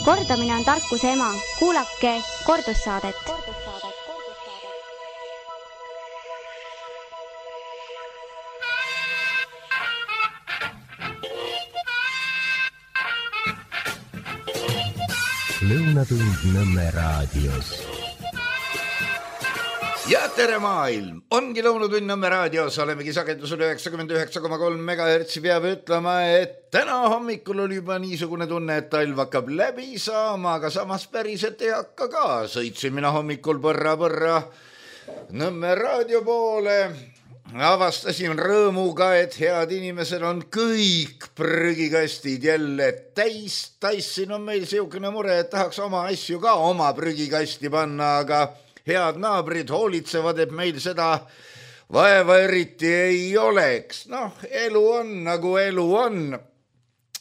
Kordamine on tarkuse ema. Kuulake kordussaadet. Lõunatund Nõmme raadios. Ja tere maailm! Ongi Lõunatund Nõmme raadios, olemegi sagedusel 99,3 MHz. Peab ütlema, et täna hommikul oli juba niisugune tunne, et talv hakkab läbi saama, aga samas päriselt ei hakka ka. Sõitsin mina hommikul põrra Nõmme raadio poole. Avastasin rõõmuga, et head inimesed on kõik prügikastid jälle täis. Tassin on meil siukene mure, et tahaks oma asju ka oma prügikasti panna, aga head naabrid hoolitsevad, et meil seda vaeva eriti ei oleks. Noh, elu on nagu elu on.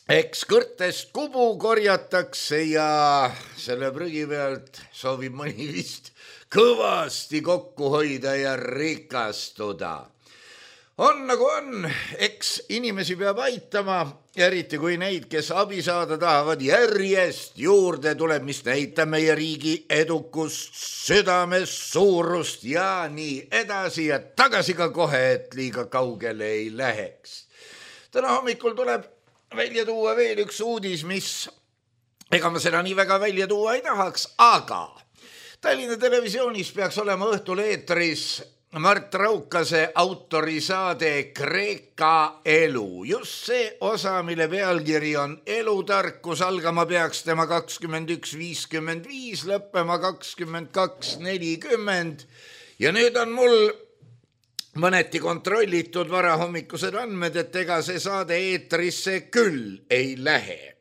Eks kõrtest kubu korjatakse ja selle prügi pealt soovib mõni vist kõvasti kokku hoida ja rikastuda. On nagu on, eks inimesi peab aitama, eriti kui neid, kes abi saada tahavad, järjest juurde tuleb, mis näitab meie riigi edukust, südames suurust ja nii edasi ja tagasi ka kohe, et liiga kaugele ei läheks. Täna hommikul tuleb välja tuua veel üks uudis, mis ega ma seda nii väga välja tuua ei tahaks, aga Tallinna Televisioonis peaks olema õhtul eetris Mart Raukase autorisaade Kreeka elu. Just see osa, mille pealkiri on Elutarkus, algama peaks tema 21.55, lõppema 22.40. Ja nüüd on mul mõneti kontrollitud varahommikused andmed, et ega see saade eetrisse küll ei lähe.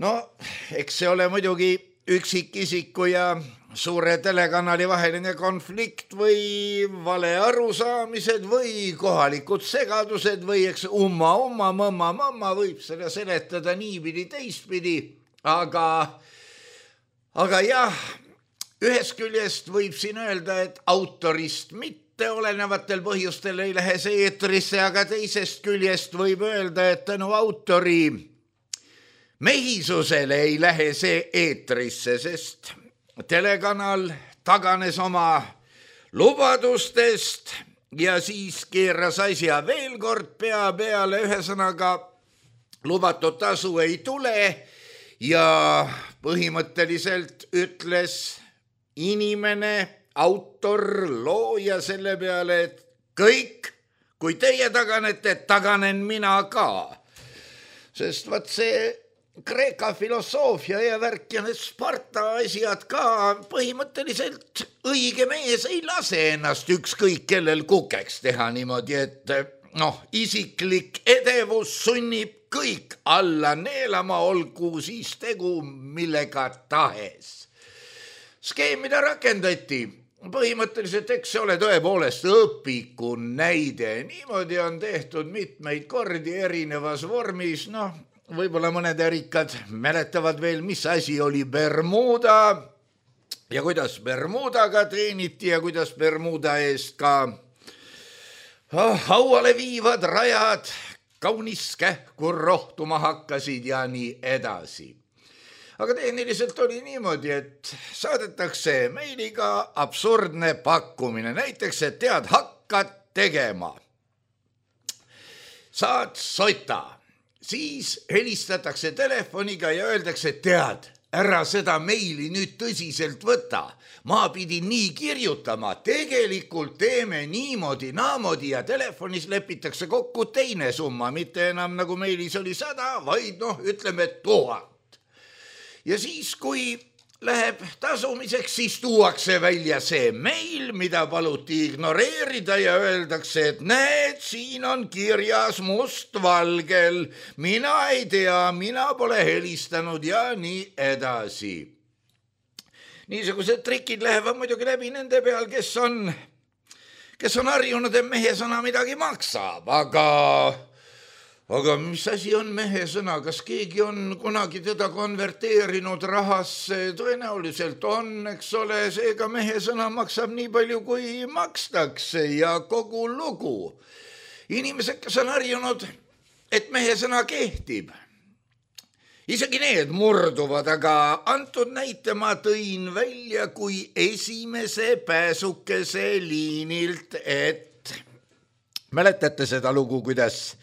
No, eks see ole muidugi üksikisiku ja suure telekanali vaheline konflikt või vale arusaamised või kohalikud segadused või eks mamma võib seda seletada niipidi teistpidi, aga jah, ühest küljest võib siin öelda, et autorist mitte olenevatel põhjustel ei lähe see eetrisse, aga teisest küljest võib öelda, et tänu autori mehisusele ei lähe see eetrisse, sest telekanal taganes oma lubadustest ja siis keeras asja veel kord pea peale, ühesõnaga lubatud tasu ei tule ja põhimõtteliselt ütles inimene, autor, looja selle peale, et kõik, kui teie taganete, taganen mina ka. Sest vaat see Kreeka filosoofia ja värk ja need Sparta asjad ka põhimõtteliselt õige mees ei lase ennast ükskõik kellel kukeks teha niimoodi, et isiklik edevus sunnib kõik alla neelama, olgu siis tegu millega tahes. Skeem, mida rakendati, põhimõtteliselt eks see ole tõepoolest õpiku näide. Niimoodi on tehtud mitmeid kordi erinevas vormis, võib-olla mõned rikkad mäletavad veel, mis asi oli Bermuda ja kuidas Bermudaga teeniti ja kuidas Bermuda eest ka hauale viivad rajad kaunis kähku rohtuma hakkasid ja nii edasi. Aga tehniliselt oli niimoodi, et saadetakse meiliga absurdne pakkumine. Näiteks, et tead, hakkad tegema. Saad sota. Siis helistatakse telefoniga ja öeldakse, tead, ära seda meili nüüd tõsiselt võta. Ma pidin nii kirjutama, tegelikult teeme niimoodi, naamodi ja telefonis lepitakse kokku teine summa, mitte enam nagu meilis oli 100, vaid ütleme 1000. Ja siis, kui läheb tasumiseks, siis tuuakse välja see meil, mida paluti ignoreerida ja öeldakse, et näed, siin on kirjas mustvalgel, mina ei tea, mina pole helistanud ja nii edasi. Niisugused trikid lähevad muidugi läbi nende peal, kes on harjunud, et mehe sõna midagi maksab, aga mis asi on mehe sõna? Kas keegi on kunagi teda konverteerinud rahasse? Tõenäoliselt on, eks ole, seega mehe sõna maksab nii palju, kui makstakse ja kogu lugu. Inimesed, kes on harjunud, et mehe sõna kehtib isegi need murduvad, aga antud näite ma tõin välja kui esimese pääsukese liinilt, et mäletate seda lugu, kuidas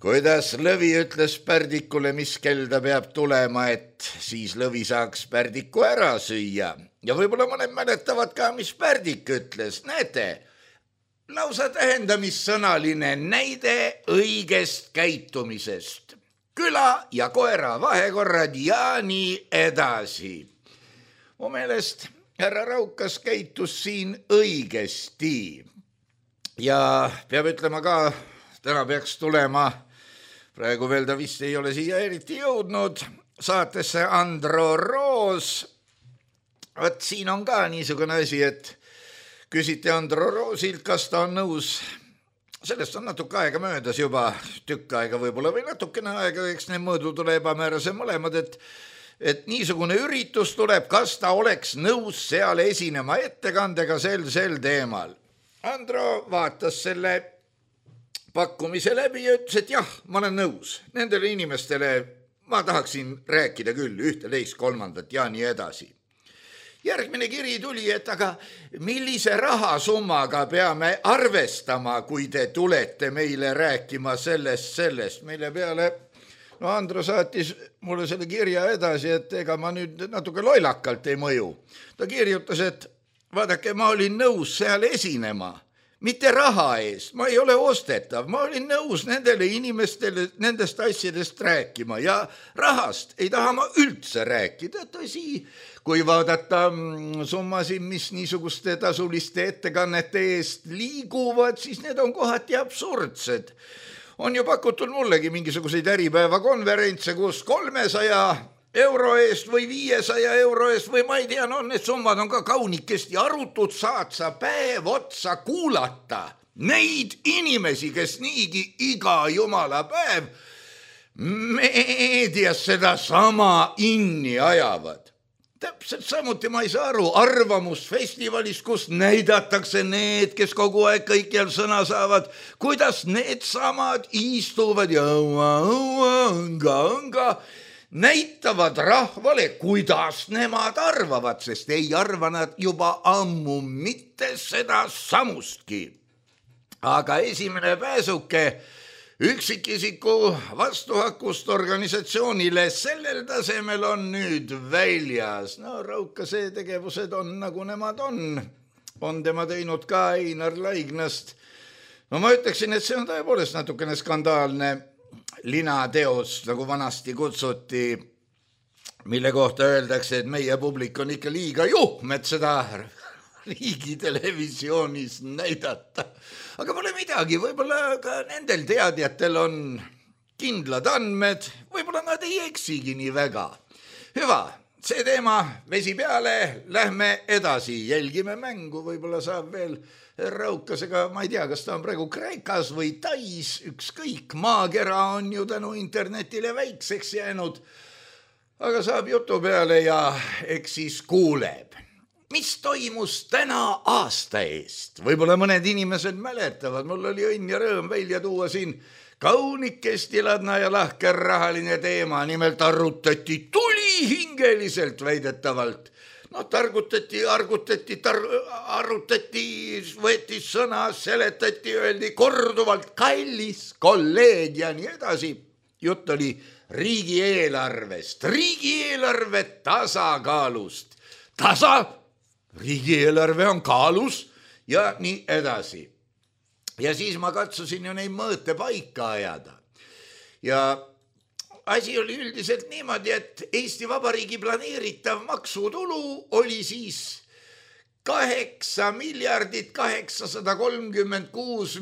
Lõvi ütles Pärdikule, mis kell ta peab tulema, et siis Lõvi saaks Pärdiku ära süüa. Ja võib-olla mõned mäletavad ka, mis Pärdik ütles. Näete, lausa tähendamissõnaline näide õigest käitumisest. Küla ja koera vahekorrad ja nii edasi. Mu meelest härra Raukas käitus siin õigesti. Ja peab ütlema ka, täna peaks tulema, praegu veel ta vist ei ole siia eriti jõudnud, saatesse Andro Roos. Võt siin on ka niisugune asi, et küsiti Andro Roosilt, kas ta on nõus. Sellest on natuke aega möödas juba, tükk aega võib-olla või natukene aega, eks need mõõdud ole ebamäärase mõlemad, et niisugune üritus tuleb, kas ta oleks nõus seal esinema ettekandega sel teemal. Andro vaatas selle pakkumise läbi ja ütles, et jah, ma olen nõus. Nendele inimestele ma tahaksin rääkida küll, 1, 2, 3 ja nii edasi. Järgmine kiri tuli, et aga millise rahasummaga peame arvestama, kui te tulete meile rääkima sellest, mille peale Andro saatis mulle selle kirja edasi, et ega ma nüüd natuke loilakalt ei mõju. Ta kirjutas, et vaadake, ma olin nõus seal esinema. Mitte raha eest, ma ei ole ostetav, ma olin nõus nendele inimestele nendest asjadest rääkima ja rahast ei taha ma üldse rääkida. Tõsi, kui vaadata summasid, mis niisuguste tasuliste ettekannete eest liiguvad, siis need on kohati absurdsed. On ju pakutud mullegi mingisuguseid äripäevakonverentse, kus 300 euro eest või 500 euro eest või ma ei tea, need summad on ka kaunikesti arutud, saad sa päev otsa kuulata neid inimesi, kes niigi iga jumala päev meedias seda sama inni ajavad. Täpselt samuti ma ei saa aru arvamusfestivalis, kus näidatakse need, kes kogu aeg kõikjal sõna saavad, kuidas need samad istuvad ja õnga näitavad rahvale, kuidas nemad arvavad, sest ei arva nad juba ammu mitte seda samustki. Aga esimene pääsuke üksikisiku vastuhakust organisatsioonile sellel tasemel on nüüd väljas. No Raukase tegevused on nagu nemad on. On tema teinud ka Einar Laignast. No ma ütleksin, et see on tõepoolest natukene skandaalne linateos, nagu vanasti kutsuti, mille kohta öeldakse, et meie publik on ikka liiga juhm, et seda riigitelevisioonis näidata. Aga pole midagi, võib-olla ka nendel teadjatel on kindlad andmed, võib-olla nad ei eksigi nii väga. Hüva, see teema vesi peale, lähme edasi, jälgime mängu, võib-olla saab veel Raukasega, ma ei tea, kas ta on praegu Kreekas või Tais, ükskõik, maakera on ju tänu internetile väikseks jäänud, aga saab jutu peale ja eks siis kuuleb. Mis toimus täna aasta eest? Võib-olla mõned inimesed mäletavad, mul oli õnn ja rõõm välja tuua siin kaunikesti ladna ja lahker rahaline teema, nimelt arutati tulihingeliselt väidetavalt. No targutati, võeti sõna, seletati, öeldi korduvalt kallis kolleeg ja nii edasi. Jutt oli riigieelarvest, riigieelarve tasakaalust. Riigieelarve on kaalus ja nii edasi. Ja siis ma katsusin ju neid mõõte paika ajada. Ja asi oli üldiselt niimoodi, et Eesti Vabariigi planeeritav maksutulu oli siis 8 836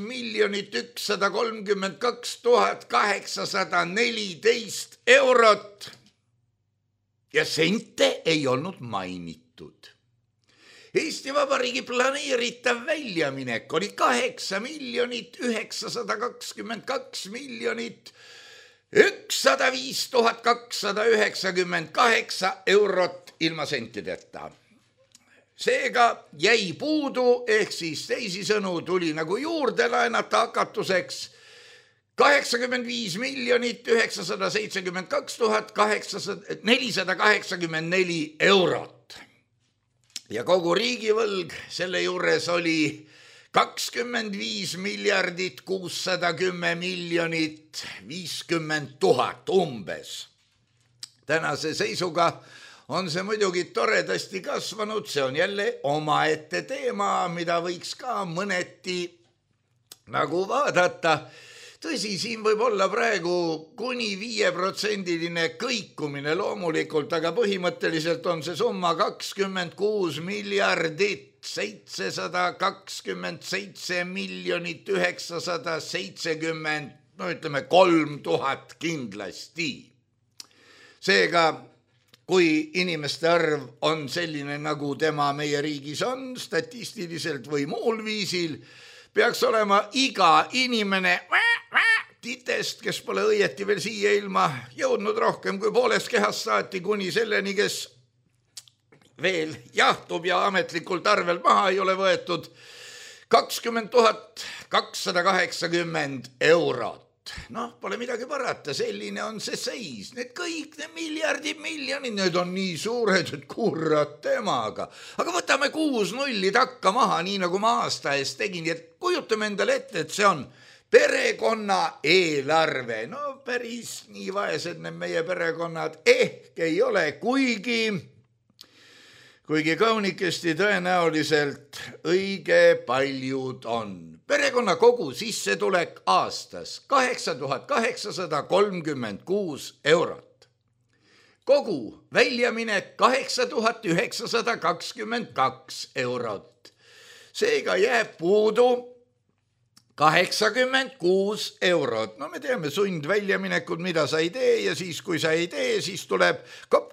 132 814 eurot ja sente ei olnud mainitud. Eesti Vabariigi planeeritav väljaminek oli 8 922 105 298 eurot ilma sentideta. Seega jäi puudu, ehk siis teisisõnu tuli nagu juurde laenata hakatuseks 85,972,484 eurot. Ja kogu riigivõlg selle juures oli 25,610,050,000 umbes. Tänase seisuga on see muidugi toredasti kasvanud, see on jälle omaette teema, mida võiks ka mõneti nagu vaadata. Tõsi, siin võib olla praegu kuni 5% kõikumine loomulikult, aga põhimõtteliselt on see summa 26 miljardit 727 970, no ütleme 3000 kindlasti. Seega, kui inimeste arv on selline, nagu tema meie riigis on, statistiliselt või muul viisil, peaks olema iga inimene titest, kes pole õieti veel siia ilma jõudnud rohkem kui poolest kehast saati kuni selleni, kes veel jahtub ja ametlikult arvel maha ei ole võetud, 20 280 eurot. Noh, pole midagi parata, selline on see seis. Need kõik, need miljonid, need on nii suured, et kurat temaga. Aga võtame 6 nulli takka maha, nii nagu ma aasta eest tegin, et kujutame endale ette, et see on perekonna eelarve. No päris nii vaesed need meie perekonnad ehk ei ole, kuigi kaunikesti tõenäoliselt õige paljud on. Perekonna kogu sissetulek aastas 8836 eurot. Kogu väljaminek 8922 eurot. Seega jääb puudu 86 eurot. No me teame sundväljaminekud, mida sa ei tee ja siis, kui sa ei tee, siis tuleb kopp,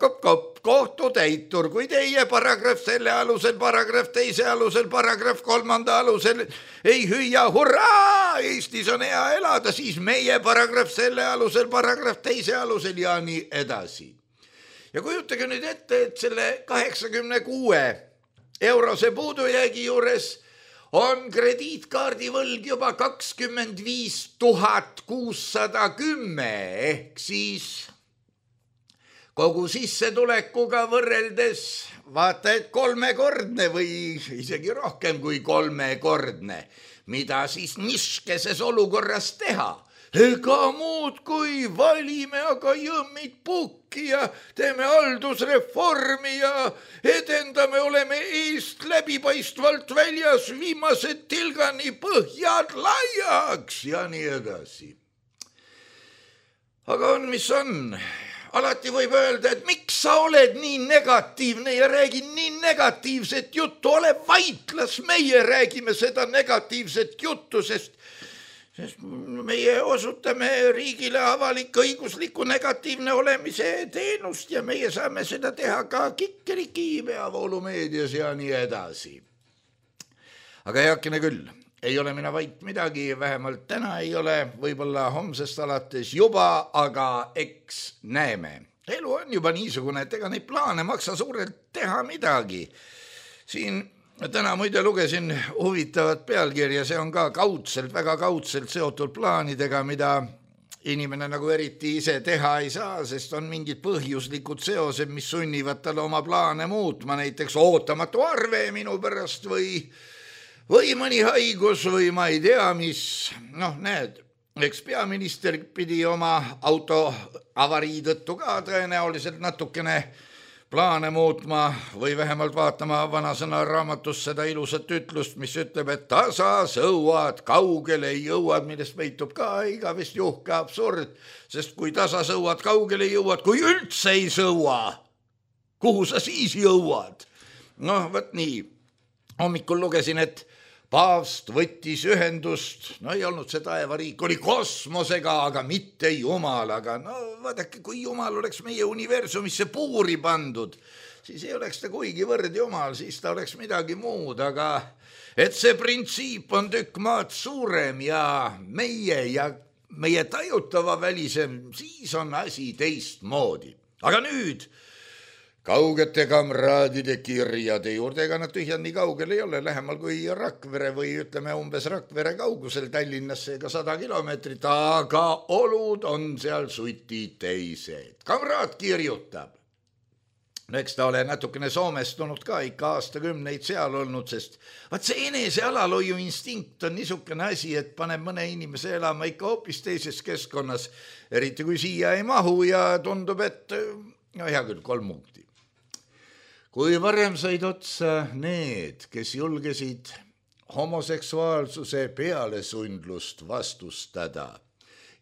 kohtutäitur. Kui teie paragrahv selle alusel, paragrahv teise alusel, paragrahv 3. alusel ei hüüa hurraa, Eestis on hea elada, siis meie paragrahv selle alusel, paragrahv teise alusel ja nii edasi. Ja kujutage nüüd ette, et selle 86 eurose puudujäägi juures on krediitkaardi võlg juba 25 610 ehk siis kogu sissetulekuga võrreldes vaata, et 3-kordne või isegi rohkem kui 3-kordne. Mida siis niškeses olukorras teha? Ega muud kui valime aga jõmmid pukki ja teeme haldusreformi ja edendame, oleme eest läbipaistvalt väljas, viimased tilgani põhjad laiaks ja nii edasi. Aga on, mis on. Alati võib öelda, et miks sa oled nii negatiivne ja räägi nii negatiivset juttu, ole vait, las meie räägime seda negatiivset juttu, sest meie osutame riigile avalik-õigusliku negatiivne olemise teenust ja meie saame seda teha ka Kikeriki peavoolumeedias ja nii edasi. Aga heakene küll, ei ole mina vait midagi, vähemalt täna ei ole, võib-olla homsest alates juba, aga eks näeme. Elu on juba niisugune, et ega neid plaane maksa suurelt teha midagi. Siin täna muide lugesin huvitavat pealkirja, see on ka kaudselt, väga kaudselt seotud plaanidega, mida inimene nagu eriti ise teha ei saa, sest on mingid põhjuslikud seosed, mis sunnivad talle oma plaane muutma, näiteks ootamatu arve minu pärast või mõni haigus või ma ei tea mis. Noh, näed, eks peaminister pidi oma auto avarii tõttu ka tõenäoliselt natukene plaane muutma või vähemalt vaatama vanasõna raamatus seda ilusat ütlust, mis ütleb, et tasa sõuad, kaugele jõuad, millest peitub ka igavest juhke absurd, sest kui tasa sõuad, kaugele jõuad, kui üldse ei sõua, kuhu sa siis jõuad? Noh, võt nii. Hommikul lugesin, et paavst võttis ühendust, no ei olnud see taevariik, oli kosmosega, aga mitte jumalaga. No vaadake, kui jumal oleks meie universumisse puuri pandud, siis ei oleks ta kuigivõrd jumal, siis ta oleks midagi muud, aga et see printsiip on tükk maad suurem ja meie tajutava välisem, siis on asi teistmoodi. Aga nüüd kaugete kamraadide kirjade juurde, ega nad tühjad nii kaugel ei ole, lähemal kui Rakvere või ütleme umbes Rakvere kaugusel Tallinnasse ega 100 kilomeetrit, aga olud on seal suti teised. Kamraad kirjutab. No eks ta ole natukene soomestunud ka ikka aastakümneid seal olnud, sest vaat see enese alalhoiu instinkt on niisugune asi, et paneb mõne inimese elama ikka hoopis teises keskkonnas, eriti kui siia ei mahu ja tundub, et no hea küll, 3 punkti. Kui varem said otsa need, kes julgesid homoseksuaalsuse pealesundlust vastustada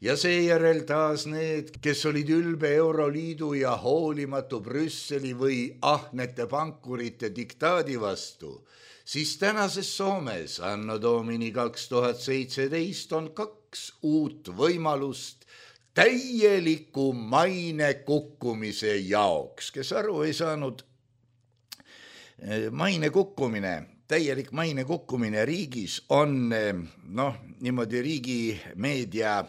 ja seejärel taas need, kes olid ülbe Euroliidu ja hoolimatu Brüsseli või ahnete pankurite diktaadi vastu, siis tänases Soomes anno domini 2017 on 2 uut võimalust täieliku maine kukkumise jaoks. Kes aru ei saanud, täielik maine kukkumine riigis on niimoodi riigi meedia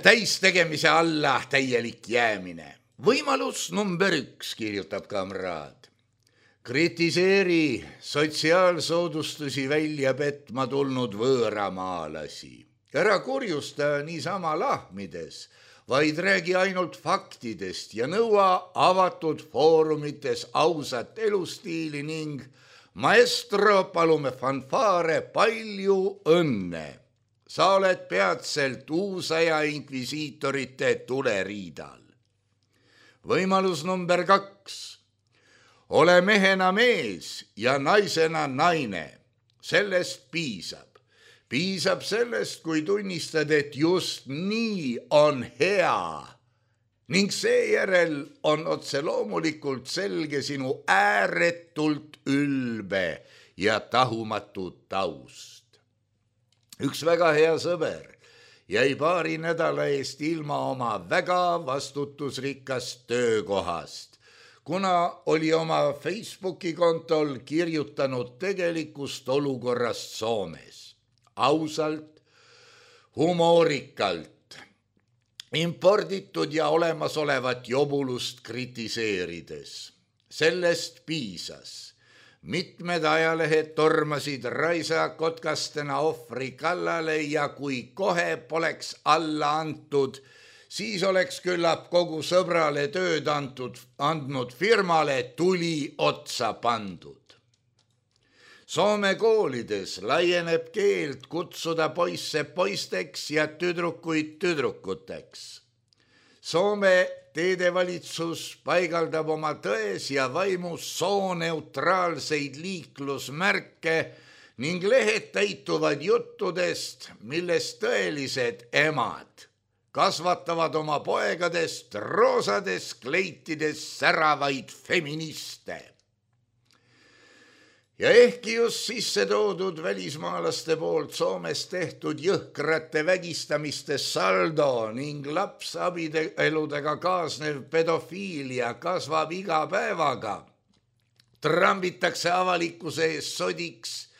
täistegemise alla täielik jäämine. Võimalus number 1, kirjutab kamraad. Kritiseeri sotsiaalsoodustusi välja petma tulnud võõramaalasi. Ära kurjusta niisama lahmides, vaid räägi ainult faktidest ja nõua avatud foorumites ausat elustiili ning maestro, palume fanfaare, palju õnne. Sa oled peatselt uusaja inkvisiitorite tuleriidal. Võimalus number 2. Ole mehena mees ja naisena naine. Sellest piisab. Piisab sellest, kui tunnistad, et just nii on hea. Ning seejärel on otse loomulikult selge sinu ääretult ülbe ja tahumatu taust. Üks väga hea sõber jäi paari nädala eest ilma oma väga vastutusrikast töökohast, kuna oli oma Facebooki kontol kirjutanud tegelikust olukorrast Soomes. Ausalt, humoorikalt, imporditud ja olemasolevat jobulust kritiseerides. Sellest piisas. Mitmed ajalehed tormasid raisakotkastena ohvri kallale ja kui kohe poleks alla antud, siis oleks küllap kogu sõbrale tööd andnud firmale tuli otsa pandud. Soome koolides laieneb keeld kutsuda poisse poisteks ja tüdrukuid tüdrukuteks. Soome teedevalitsus paigaldab oma tões ja vaimus sooneutraalseid liiklusmärke ning lehed täituvad juttudest, milles tõelised emad kasvatavad oma poegadest roosades kleitides säravaid feministe. Ja ehkki just sisse toodud välismaalaste poolt Soomes tehtud jõhkrate vägistamiste saldo ning lapsabieludega kaasnev pedofiilia kasvab iga päevaga, trambitakse avalikkuse ees sodiks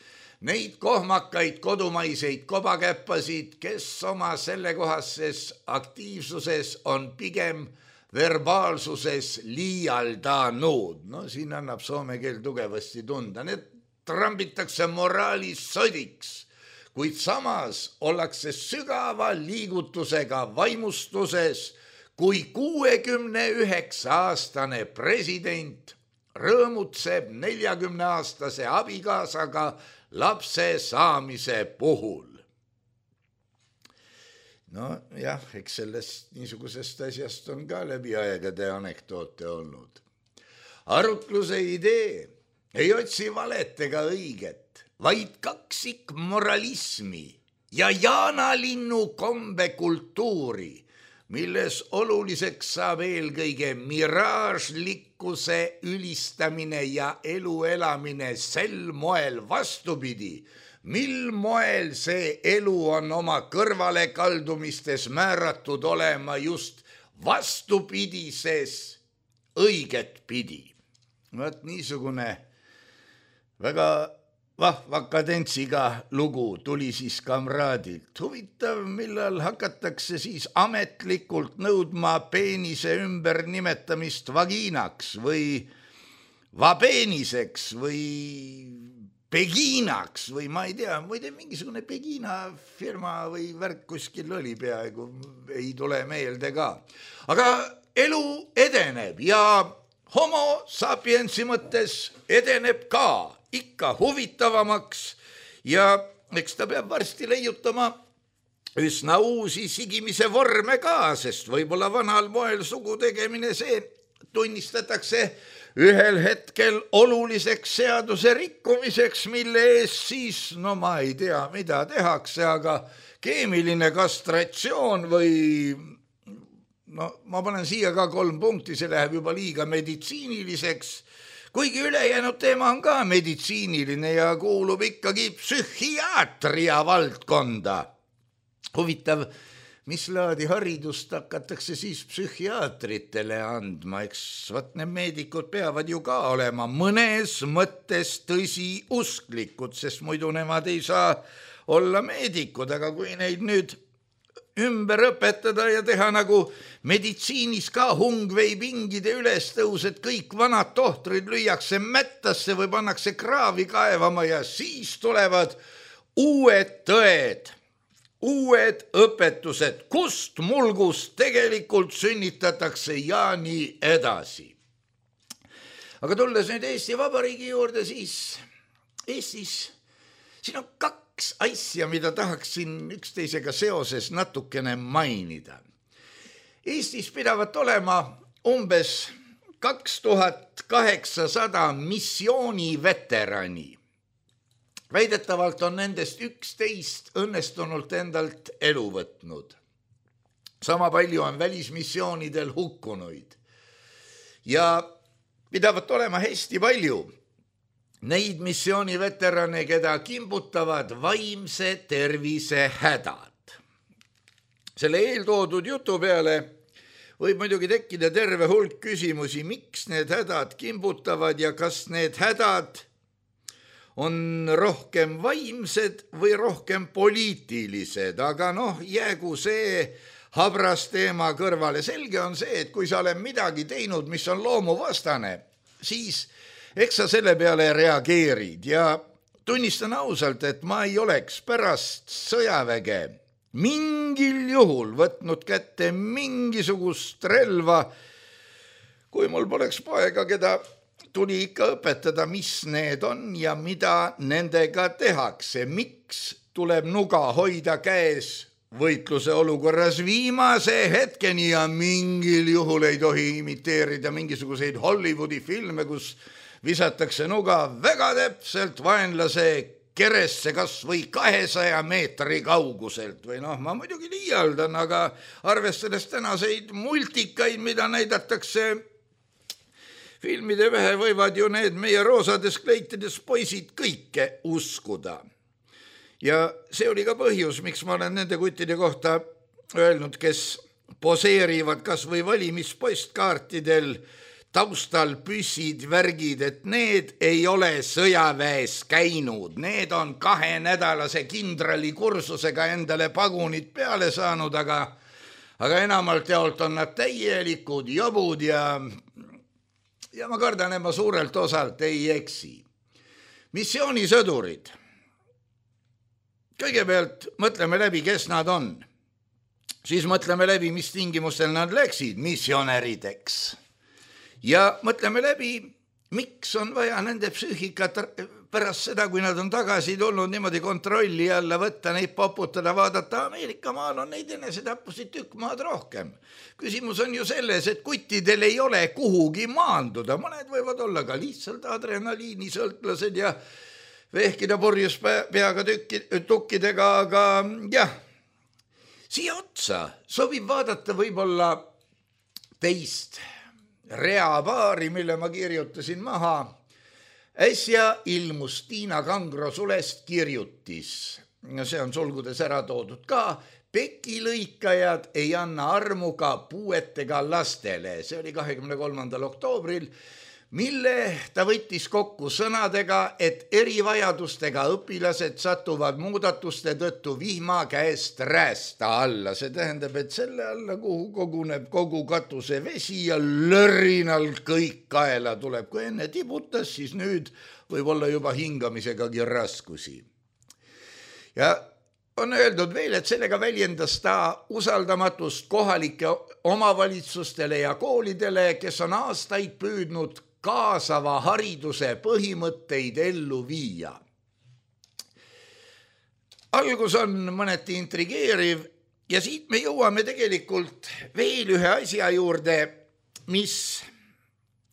neid kohmakaid kodumaiseid kobakäppasid, kes oma sellekohases aktiivsuses on pigem verbaalsuses liialdanud. No siin annab soome keel tugevasti tunda. Need trambitakse moraalis sodiks, kuid samas ollakse sügava liigutusega vaimustuses, kui 69-aastane president rõõmutseb 40-aastase abikaasaga lapse saamise puhul. No jah, eks sellest niisugusest asjast on ka läbi aegade anekdoote olnud. Arutluse idee ei otsi valet ega õiget, vaid kaksik moralismi ja jaanalinnu kombekultuuri, milles oluliseks saab eelkõige miraažlikkuse ülistamine ja elu elamine sel moel vastupidi, mil moel see elu on oma kõrvalekaldumistes määratud olema just vastupidises õiget pidi. Vaat niisugune väga vahva kadentsiga lugu tuli siis kamraadilt. Huvitav, millal hakatakse siis ametlikult nõudma peenise ümber nimetamist vagiinaks või vabeeniseks või Beginaks või ma ei tea, muide mingisugune Begina firma või värk kuskil oli peaaegu, ei tule meelde ka. Aga elu edeneb ja homo sapiensi mõttes edeneb ka ikka huvitavamaks ja eks ta peab varsti leiutama üsna uusi sigimise vorme ka, sest võib-olla vanal moel sugu tegemine see tunnistatakse ühel hetkel oluliseks seaduse rikkumiseks, mille eest siis, no ma ei tea, mida tehakse, aga keemiline kastratsioon või, no ma panen siia ka 3 punkti, see läheb juba liiga meditsiiniliseks, kuigi ülejäänud teema on ka meditsiiniline ja kuulub ikkagi psühhiaatria valdkonda. Huvitav, mis laadi haridust hakatakse siis psühhiaatritele andma, eks need meedikud peavad ju ka olema mõnes mõttes tõsiusklikud, sest muidu nemad ei saa olla meedikud, aga kui neid nüüd ümber õpetada ja teha nagu meditsiinis ka hungveipingide ülestõus, et kõik vanad tohtrid lüüakse mättasse või pannakse kraavi kaevama ja siis tulevad uued tõed, uued õpetused, kust mulgust tegelikult sünnitatakse ja nii edasi. Aga tulles nüüd Eesti Vabariigi juurde, siis Eestis siin on 2 asja, mida tahaksin üksteisega seoses natukene mainida. Eestis pidavat olema umbes 2800 missiooniveterani. Väidetavalt on nendest 11 õnnestunult endalt elu võtnud. Sama palju on välismissioonidel hukkunuid. Ja pidavat olema hästi palju neid missiooniveterane, keda kimbutavad vaimse tervise hädad. Selle eeltoodud jutu peale võib muidugi tekkida terve hulk küsimusi, miks need hädad kimbutavad ja kas need hädad on rohkem vaimsed või rohkem poliitilised, aga jäägu see habras teema kõrvale. Selge on see, et kui sa oled midagi teinud, mis on loomuvastane, siis eks sa selle peale reageerid ja tunnistan ausalt, et ma ei oleks pärast sõjaväge mingil juhul võtnud kätte mingisugust relva, kui mul poleks poega, keda tuli ikka õpetada, mis need on ja mida nendega tehakse. Miks tuleb nuga hoida käes võitluse olukorras viimase hetkeni ja mingil juhul ei tohi imiteerida mingisuguseid Hollywoodi filme, kus visatakse nuga väga täpselt vaenlase keresse kas või 200 meetri kauguselt. Või ma muidugi liialdan, aga arvestades tänaseid multikaid, mida näidatakse filmide vähe, võivad ju need meie roosades kleitides poisid kõike uskuda. Ja see oli ka põhjus, miks ma olen nende kuttide kohta öelnud, kes poseerivad kas või valimispostkaartidel taustal püssid, värgid, et need ei ole sõjaväes käinud. Need on 2-nädalase kindrali kursusega endale pagunid peale saanud, aga enamalt jaolt on nad täielikud jobud ja ma kardan, et ma suurelt osalt ei eksi. Missioonisõdurid. Kõigepealt mõtleme läbi, kes nad on. Siis mõtleme läbi, mis tingimustel nad läksid missionärideks. Ja mõtleme läbi, miks on vaja nende psüühikat pärast seda, kui nad on tagasi tulnud niimoodi kontrolli alla võtta, neid poputada, vaadata. Ameerika maal on neid enesetappusid tükk maad rohkem. Küsimus on ju selles, et kuttidel ei ole kuhugi maanduda. Mõned võivad olla ka lihtsalt adrenaliinisõltlased ja vehkida purjus peaga tukkidega, aga jah, siia otsa sobib vaadata võib-olla teist reapaari, mille ma kirjutasin maha. Äsja ilmus Tiina Kangro sulest kirjutis, see on sulgudes ära toodud ka, pekilõikajad ei anna armu ka puuetega lastele. See oli 23. oktoobril, mille ta võttis kokku sõnadega, et erivajadustega õpilased satuvad muudatuste tõttu vihma käest räästa alla. See tähendab, et selle alla, kuhu koguneb kogu katuse vesi ja lörrinal kõik kaela tuleb. Kui enne tibutas, siis nüüd võib olla juba hingamisegagi raskusi. Ja on öeldud veel, et sellega väljendas ta usaldamatust kohalike omavalitsustele ja koolidele, kes on aastaid püüdnud kaasava hariduse põhimõtteid ellu viia. Algus on mõneti intrigeeriv ja siit me jõuame tegelikult veel ühe asja juurde, mis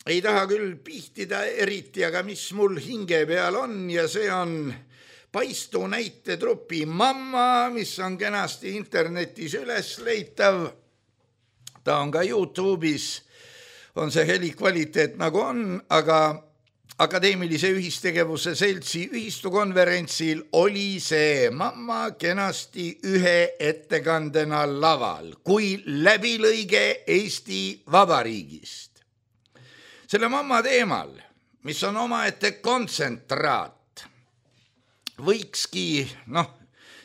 ei taha küll pihtida eriti, aga mis mul hinge peal on ja see on Paistu näitetrupi Mamma, mis on kenasti internetis üles leitav. Ta on ka YouTube'is, on see helikvaliteet nagu on, aga Akadeemilise Ühistegevuse Seltsi ühistukonverentsil oli see Mamma kenasti ühe ettekandena laval, kui läbilõige Eesti Vabariigist. Selle Mamma teemal, mis on omaette kontsentraat, võikski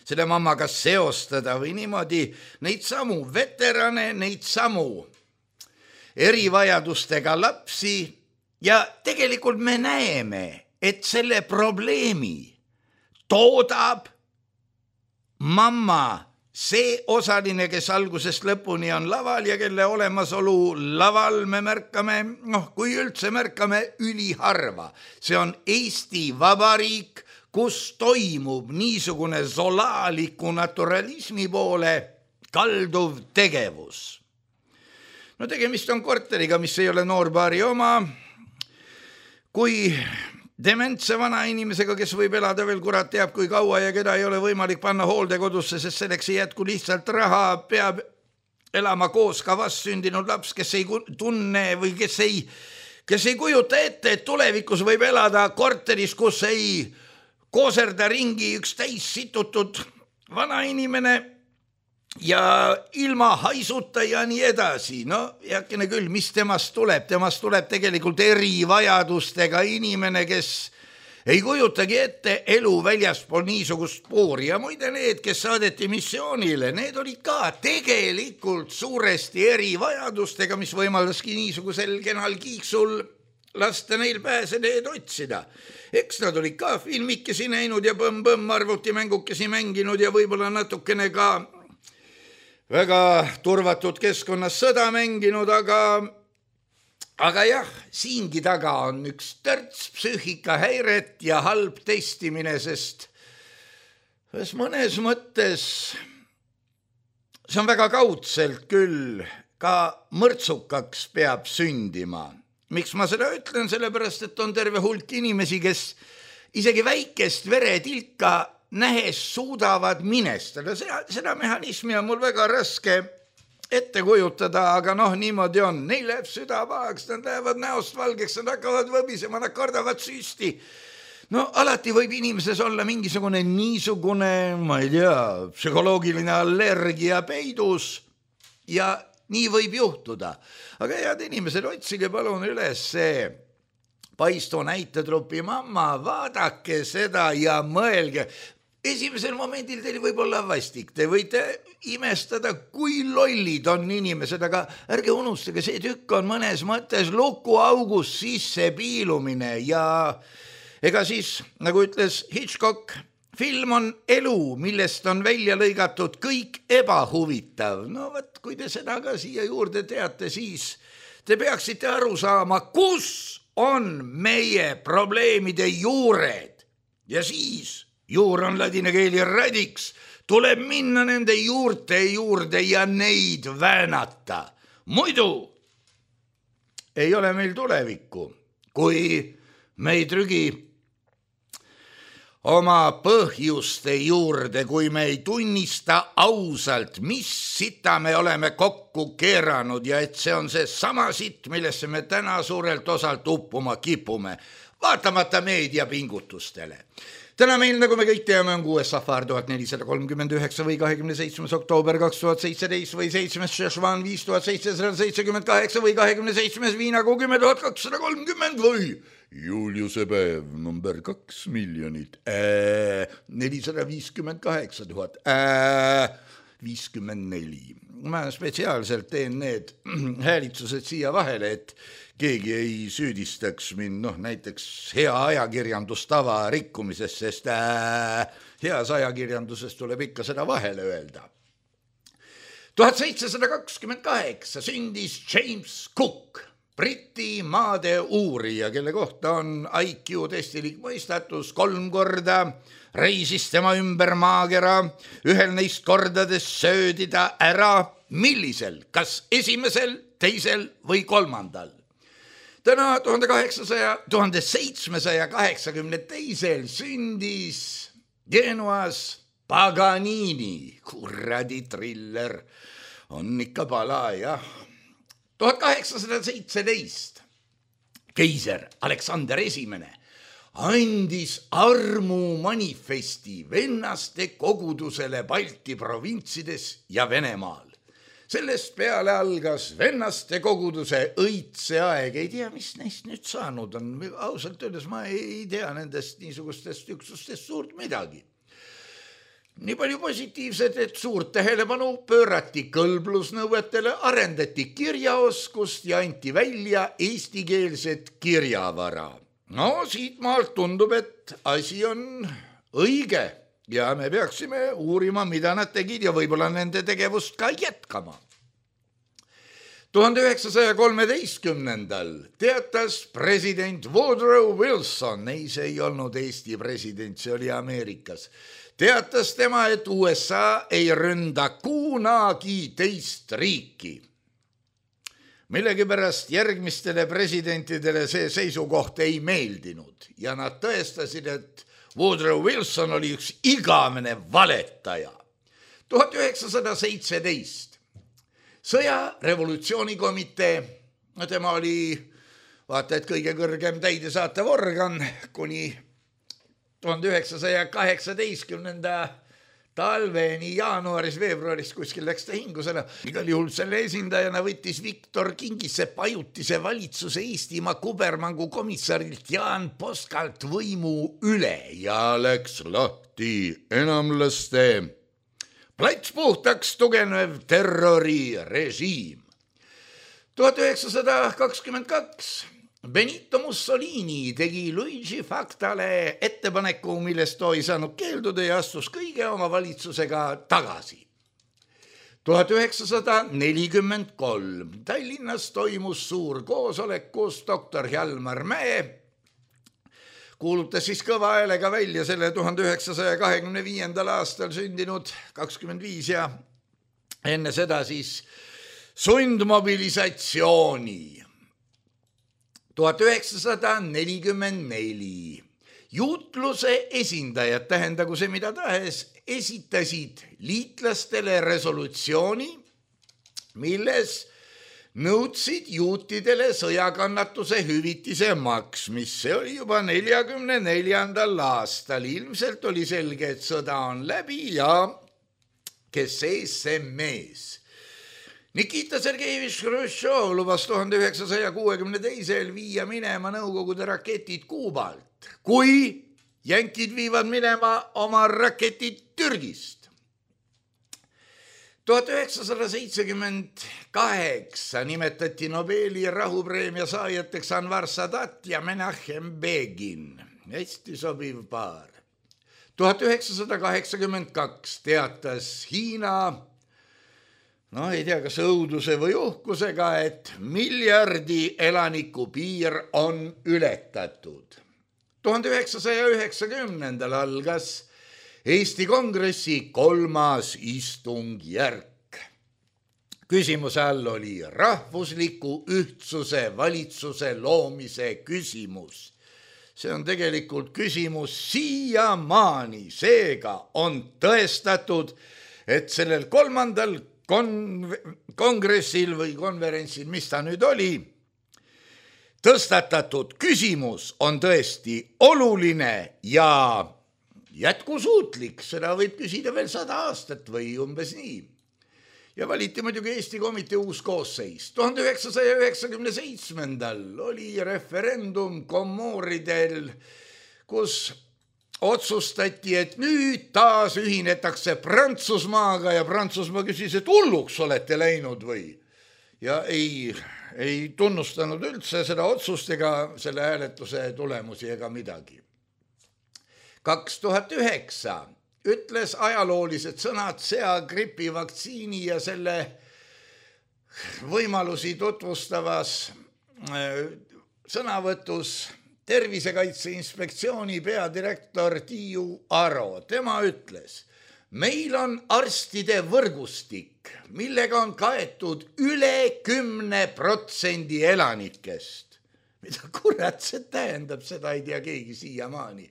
selle Mammaga seostada või niimoodi neid samu veterane, neid samu erivajadustega lapsi ja tegelikult me näeme, et selle probleemi toodab Mamma, see osaline, kes algusest lõpuni on laval ja kelle olemasolu laval me märkame, kui üldse märkame üliharva. See on Eesti Vabariik, kus toimub niisugune zolaaliku naturalismi poole kalduv tegevus. Tegemist on korteriga, mis ei ole noorpaari oma. Kui dementse vana inimesega, kes võib elada veel kurat teab kui kaua ja keda ei ole võimalik panna hooldekodusse, sest selleks ei jätku lihtsalt raha, peab elama koos ka vastsündinud laps, kes ei tunne või kes ei kujuta ette, et tulevikus võib elada korteris, kus ei kooserda ringi üks täis situtud vana inimene ja ilma haisuta ja nii edasi. Heakene küll, mis temast tuleb? Temast tuleb tegelikult erivajadustega inimene, kes ei kujutagi ette elu väljaspool niisugust puuri. Ja muide need, kes saadeti missioonile, need olid ka tegelikult suuresti erivajadustega, mis võimaldaski niisugusel kenal kiiksul lasta neil pääseneed otsida. Eks nad olid ka filmikesi näinud ja põmm-põmm arvutimängukkesi mänginud ja võib-olla natukene ka väga turvatud keskkonnas sõda mänginud, aga jah, siingi taga on üks törts psüühikahäiret ja halb testimine, sest mõnes mõttes see on väga kaudselt küll ka mõrtsukaks peab sündima. Miks ma seda ütlen? Sellepärast, et on terve hulk inimesi, kes isegi väikest veretilka nähes suudavad minestada. Seda mehhanismi on mul väga raske ette kujutada, aga niimoodi on. Neil läheb süda pahaks, nad lähevad näost valgeks, nad hakkavad võbisema, nad kardavad süsti. Alati võib inimeses olla mingisugune niisugune, ma ei tea, psühholoogiline allergia peidus ja nii võib juhtuda. Aga head inimesed, otsige palun üles see Paistu näitetrupi Mamma, vaadake seda ja mõelge. Esimesel momendil teil võib olla vastik, te võite imestada, kui lollid on inimesed, aga ärge unustage, see tükk on mõnes mõttes lukuaugus sisse piilumine ja ega siis, nagu ütles Hitchcock, film on elu, millest on välja lõigatud kõik ebahuvitav. Kui te seda ka siia juurde teate, siis te peaksite aru saama, kus on meie probleemide juured. Ja siis, juur on ladina keeli radix, tuleb minna nende juurte juurde ja neid väänata. Muidu ei ole meil tulevikku, kui me ei trügi oma põhjuste juurde, kui me ei tunnista ausalt, mis sita me oleme kokku keeranud ja et see on see sama sitt, millesse me täna suurelt osalt uppuma kipume, vaatamata meediapingutustele. Täna meil, nagu me kõik teame, on 6. safar 1439 või 27. oktoober 2017 või 7. Šešvan 5778 või 27. viinakuu 10 230 või Juliuse päev number 2 miljonit 458 054. Ma spetsiaalselt teen need häälitsused siia vahele, et keegi ei süüdistaks mind, näiteks hea ajakirjandustava rikkumisest, sest heas ajakirjanduses tuleb ikka seda vahele öelda. 1728 sündis James Cook, Briti maade uurija, kelle kohta on IQ testilik mõistatus 3 korda, reisis tema ümber maakera, ühel neist kordades söödi ta ära, millisel, kas esimesel, teisel või 3. Täna 1782 sündis Genuas Paganini, kuradi triller, on ikka pala, jah. 1817 keiser Aleksander I andis armumanifesti vennaste kogudusele Balti provintsides ja Venemaal. Sellest peale algas vennaste koguduse õitse aeg. Ei tea, mis neist nüüd saanud on. Ausalt öeldes ma ei tea nendest niisugustest üksustest suurt midagi. Nii palju positiivset, et suurt tähelepanu pöörati kõlblusnõuetele, arendati kirjaoskust ja anti välja eestikeelset kirjavara. Siit maalt tundub, et asi on õige ja me peaksime uurima, mida nad tegid ja võib-olla nende tegevust ka jätkama. 1913. teatas president Woodrow Wilson, see ei olnud Eesti president, see oli Ameerikas, teatas tema, et USA ei ründa kunagi teist riiki. Millegipärast järgmistele presidentidele see seisukoht ei meeldinud ja nad tõestasid, et Woodrow Wilson oli üks igavene valetaja. 1917 sõjarevolutsioonikomitee, tema oli vaata, et kõige kõrgem täidesaatev organ kuni 1918. talveni jaanuaris-veebruaris kuskil läks ta hingusena. Igal juhul selle esindajana võttis Viktor Kingisepp ajutise valitsuse Eestimaa kubermangu komissarilt Jaan Poskalt võimu üle ja läks lahti enamlaste plats puhtaks tugenev terrorirežiim. 1922 Benito Mussolini tegi Luigi Factale ettepaneku, millest too ei saanud keelduda ja astus kõige oma valitsusega tagasi. 1943 Tallinnas toimus suur koosolek, kus doktor Hjalmar Mäe kuulutas siis kõva häälega välja selle 1925. aastal sündinud 25 ja enne seda siis sundmobilisatsiooni. 1944 juutluse esindajad, tähendagu see mida tahes, esitasid liitlastele resolutsiooni, milles nõudsid juutidele sõjakannatuse hüvitise maksmist. See oli juba 1944. aastal. Ilmselt oli selge, et sõda on läbi ja kes sees, see mees. Nikita Sergejevich Hruštšov lubas 1962 viia minema Nõukogude raketid Kuubalt, kui jänkid viivad minema oma raketid Türgist. 1978 nimetati Nobeli rahupreemia saajateks Anwar Sadat ja Menachem Begin. Hästi sobiv paar. 1982 teatas Hiina, ei tea, kas õuduse või uhkusega, et 1 miljardi elaniku piir on ületatud. 1990 algas Eesti Kongressi 3. istungjärk. Küsimuse all oli rahvusliku ühtsuse valitsuse loomise küsimus. See on tegelikult küsimus siiamaani, seega on tõestatud, et sellel 3. kongressil või konverentsil, mis ta nüüd oli, tõstatatud küsimus on tõesti oluline ja jätkusuutlik, seda võib küsida veel 100 aastat või umbes nii. Ja valiti muidugi Eesti komitee uus koosseis. 1997 oli referendum Komoridel, kus otsustati, et nüüd taas ühinetakse Prantsusmaaga ja Prantsusmaa küsis, et hulluks olete läinud või? Ja ei tunnustanud üldse seda otsust ega selle hääletuse tulemusi ega midagi. 2009 ütles ajaloolised sõnad seagripi vaktsiini ja selle võimalusi tutvustavas sõnavõtus Tervisekaitse Inspektsiooni peadirektor Tiiu Aro. Tema ütles, meil on arstide võrgustik, millega on kaetud üle 10% elanikest. Mida kurat see tähendab, seda ei tea keegi siiamaani.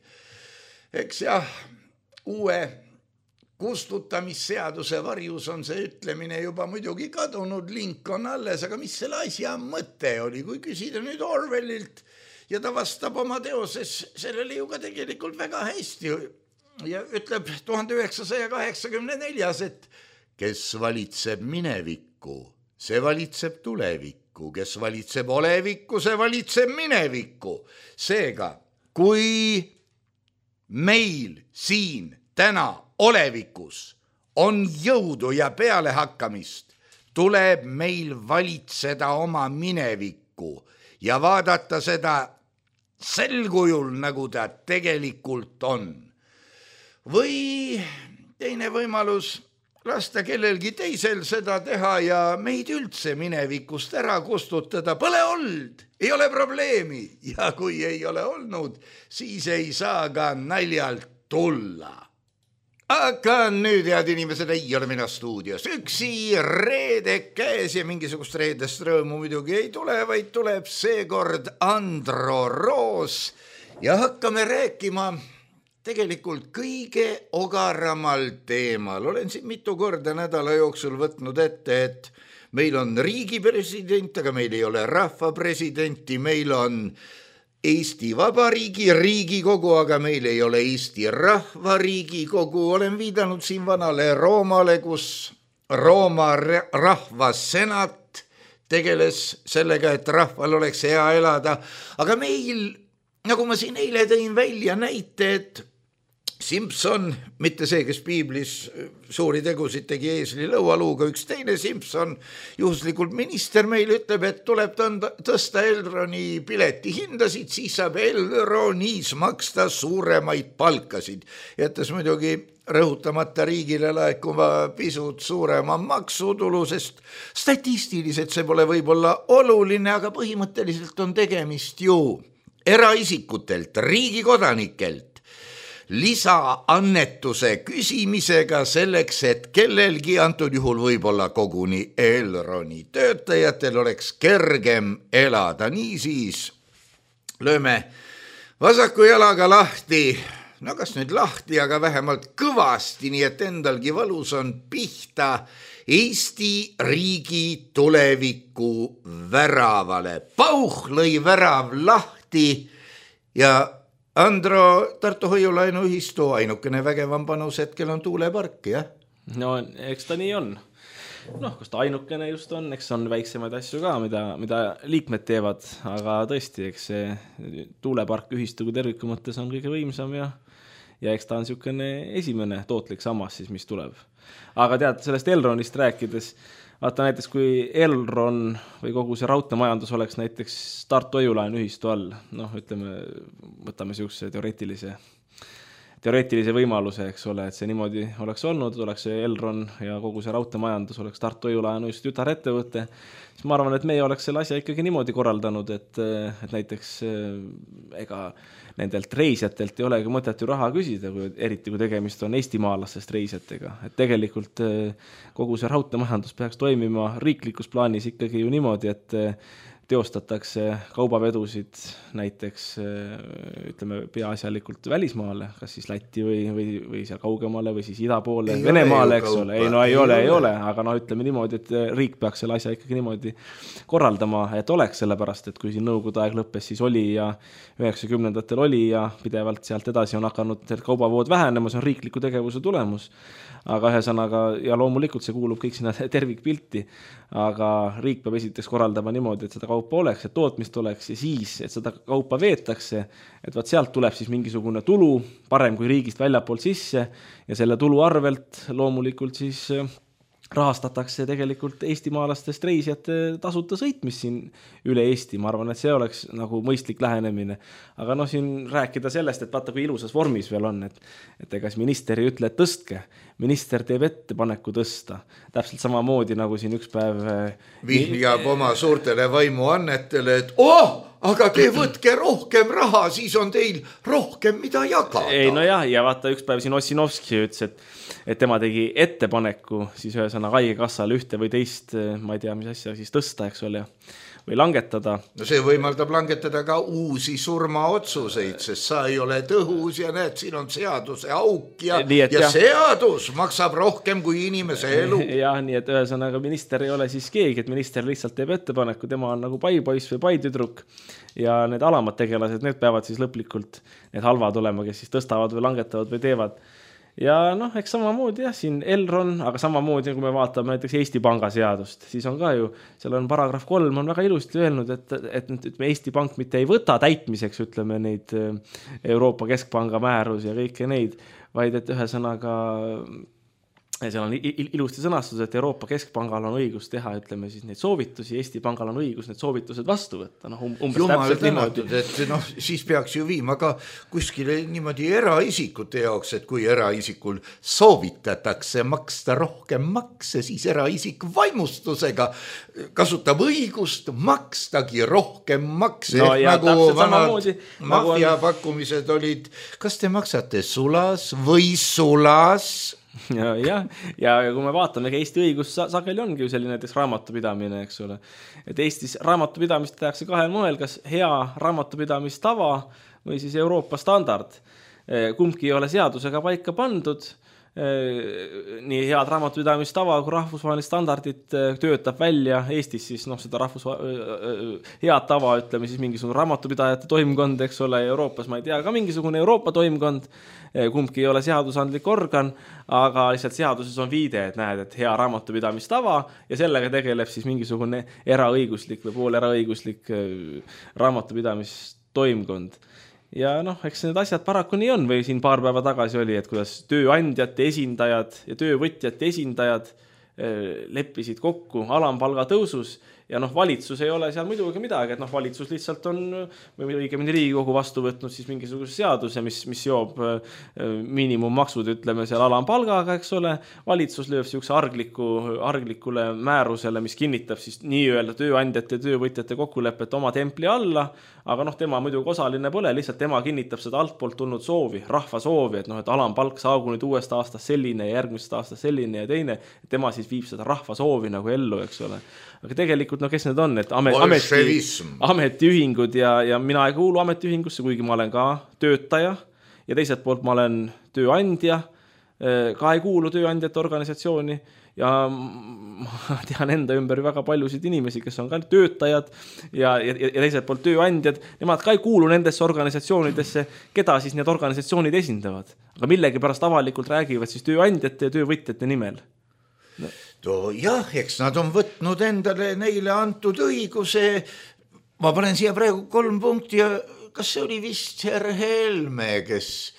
Eks jah, uue kustutamisseaduse varjus on see ütlemine juba muidugi kadunud, link on alles, aga mis selle asja mõte oli, kui küsida nüüd Orwellilt ja ta vastab oma teoses sellele ju ka tegelikult väga hästi ja ütleb 1984, et kes valitseb minevikku, see valitseb tulevikku, kes valitseb olevikku, see valitseb minevikku. Seega, kui meil siin täna olevikus on jõudu ja pealehakkamist, tuleb meil valitseda oma minevikku ja vaadata seda sel kujul, nagu ta tegelikult on. Või teine võimalus, lasta kellelgi teisel seda teha ja meid üldse minevikust ära kustutada. Pole olnud, ei ole probleemi ja kui ei ole olnud, siis ei saa ka naljalt tulla. Aga nüüd, head inimesed, ei ole mina stuudios üksi, reede käes ja mingisugust reedest rõõmu muidugi ei tule, vaid tuleb seekord Andro Roos ja hakkame rääkima tegelikult kõige ogaramal teemal. Olen siin mitu korda nädala jooksul võtnud ette, et meil on riigi president, aga meil ei ole rahva presidenti, meil on Eesti Vabariigi Riigikogu, aga meil ei ole Eesti Rahva Riigikogu. Olen viidanud siin vanale Roomale, kus Rooma rahva senat tegeles sellega, et rahval oleks hea elada. Aga meil, nagu ma siin eile tõin välja näite, et Simpson, mitte see, kes piiblis suuri tegusid tegi eesli lõualuuga, üks teine Simpson, juhuslikult minister meil ütleb, et tuleb tõsta Elroni pileti hindasid, siis saab Elronis maksta suuremaid palkasid. Jättes muidugi rõhutamata riigile laekuma pisut suurema maksutulu, sest statistiliselt see pole võib-olla oluline, aga põhimõtteliselt on tegemist ju eraisikutelt, riigikodanikelt lisaannetuse küsimisega selleks, et kellelgi antud juhul võib-olla koguni Elroni töötajatel oleks kergem elada. Niisiis lööme vasaku jalaga lahti, no kas nüüd lahti, aga vähemalt kõvasti, nii et endalgi valus on pihta Eesti riigi tuleviku väravale. Pauh lõi värav lahti ja Andro, Tartu Hoiulaenu ühistu ainukene vägevam panus hetkel on tuulepark, jah? No, eks ta nii on. Kas ta ainukene just on, eks on väiksemaid asju ka, mida liikmed teevad, aga tõesti, eks see tuulepark ühistu kui terviku mõttes on kõige võimsam ja eks ta on niisugune esimene tootlik sammas siis, mis tuleb. Aga tead, sellest Elronist rääkides, vaata näiteks kui Elron või kogu see raudteemajandus oleks näiteks Tartu Hoiulaenu ühistu all, võtame niisuguse teoreetilise võimaluse, eks ole, et see niimoodi oleks olnud, oleks see Elron ja kogu see raudteemajandus oleks Tartu Hoiulaenu just tütarettevõte, siis ma arvan, et meie oleks selle asja ikkagi niimoodi korraldanud, et näiteks ega nendelt reisjatelt ei olegi mõtet ju raha küsida, eriti kui tegemist on eestimaalastest reisjatega. Et tegelikult kogu see raudteemajandus peaks toimima riiklikus plaanis ikkagi ju niimoodi, et teostatakse kaubavedusid näiteks ütleme peaasjalikult välismaale, kas siis Lätti või seal kaugemale või siis ida poole, Venemaale, eks ole. Ei ole, aga ütleme niimoodi, et riik peaks selle asja ikkagi niimoodi korraldama, et oleks sellepärast, et kui siin nõukogude aeg lõppes, siis oli ja 90-ndatel oli ja pidevalt sealt edasi on hakanud kaubavood vähenema, see on riikliku tegevuse tulemus. Aga ühesõnaga, ja loomulikult see kuulub kõik sinna tervikpilti, aga riik peab esiteks korraldama niimoodi, et seda kaupa oleks, et tootmist oleks ja siis, et seda kaupa veetakse, et vaat sealt tuleb siis mingisugune tulu, parem kui riigist väljapoolt sisse ja selle tulu arvelt loomulikult siis rahastatakse tegelikult eestimaalastest reisijate tasuta sõitmist siin üle Eesti. Ma arvan, et see oleks nagu mõistlik lähenemine. Aga siin rääkida sellest, et vaata kui ilusas vormis veel on, et ega minister ei ütle, et tõstke. Minister teeb ettepaneku tõsta. Täpselt samamoodi nagu siin üks päev vihjab oma suurtele vaimuannetele, et aga te võtke rohkem raha, siis on teil rohkem mida jagada. Ei, ja vaata üks päev siin Ossinovski ütles, et tema tegi ettepaneku siis ühesõna haigekassale ühte või teist, ma ei tea, mis asja siis tõsta, eks ole, või langetada. No see võimaldab langetada ka uusi surmaotsuseid, sest sa ei ole tõhus ja näed, siin on seaduse auk ja seadus maksab rohkem kui inimese elu. Jah, nii et ühesõnaga minister ei ole siis keegi, et minister lihtsalt teeb ettepaneku, tema on nagu paipoiss või paitüdruk ja need alamad tegelased, need peavad siis lõplikult need halvad olema, kes siis tõstavad või langetavad või teevad. Ja eks samamoodi siin Elron, aga samamoodi kui me vaatame näiteks Eesti Panga seadust, siis on ka ju, seal on paragrahv 3 on väga ilusti öelnud, et Eesti Pank mitte ei võta täitmiseks, ütleme neid Euroopa Keskpanga määrus ja kõike neid, vaid et ühesõnaga seal on ilusti sõnastus, et Euroopa Keskpangal on õigus teha, ütleme siis neid soovitusi, Eesti Pangal on õigus need soovitused vastu võtta. Jumal tänatud, et siis peaks ju viima ka kuskile niimoodi eraisikute jaoks, et kui eraisikul soovitatakse maksta rohkem makse, siis eraisik vaimustusega kasutab õigust makstagi rohkem makse. No, nagu vanad mafia pakkumised olid, kas te maksate sulas või sulas? Ja kui me vaatame, Eesti õigus sageli ongi ju selline näiteks raamatupidamine, eks ole. Et Eestis raamatupidamist tehakse kahel moel, kas hea raamatupidamistava või siis Euroopa standard. Kumbki ei ole seadusega paika pandud. Nii head raamatupidamistava kui rahvusvahelist standardit töötab välja Eestis siis seda head tava, ütleme siis mingisugune raamatupidajate toimkond, eks ole, Euroopas ma ei tea, ka mingisugune Euroopa toimkond, kumbki ei ole seadusandlik organ, aga lihtsalt seaduses on viide, et näed, et hea raamatupidamistava ja sellega tegeleb siis mingisugune eraõiguslik või pool eraõiguslik raamatupidamistoimkond. Ja eks need asjad paraku nii on või siin paar päeva tagasi oli, et kuidas tööandjate esindajad ja töövõtjate esindajad leppisid kokku alampalga tõusus ja valitsus ei ole seal muidugi midagi, et valitsus lihtsalt on või õigemini Riigikogu vastu võtnud siis mingisuguse seaduse, mis seob miinimummaksud, ütleme seal alampalgaga, eks ole. Valitsus lööb siukse arglikule määrusele, mis kinnitab siis nii-öelda tööandjate ja töövõtjate kokkulepet oma templi alla, aga tema muidugi osaline pole, lihtsalt tema kinnitab seda altpoolt tulnud soovi, rahva soovi, et alampalk saagu nüüd uuest aastast selline ja järgmisest aastast selline ja teine, et tema siis viib seda rahva soovi nagu ellu, eks ole. Aga tegelikult, kes need on, et ametiühingud ja mina ei kuulu ametiühingusse, kuigi ma olen ka töötaja ja teiselt poolt ma olen tööandja, ka ei kuulu tööandjate organisatsiooni ja ma tean enda ümber väga paljusid inimesi, kes on ka töötajad ja teiselt poolt tööandjad, nemad ka ei kuulu nendesse organisatsioonidesse, keda siis need organisatsioonid esindavad, aga millegi pärast avalikult räägivad siis tööandjate ja töövõtjate nimel. Jah, eks nad on võtnud endale neile antud õiguse. Ma panen siia praegu 3 punkti ja kas see oli vist herr Helme, kes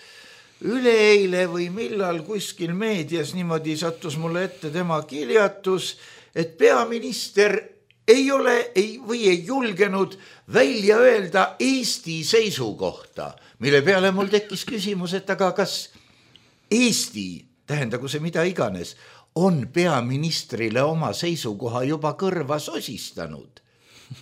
üleeile või millal kuskil meedias niimoodi sattus mulle ette tema kiljatus, et peaminister ei julgenud välja öelda Eesti seisukohta, mille peale mul tekkis küsimus, et aga kas Eesti, tähendagu see mida iganes, on peaministrile oma seisukoha juba kõrva sosistanud.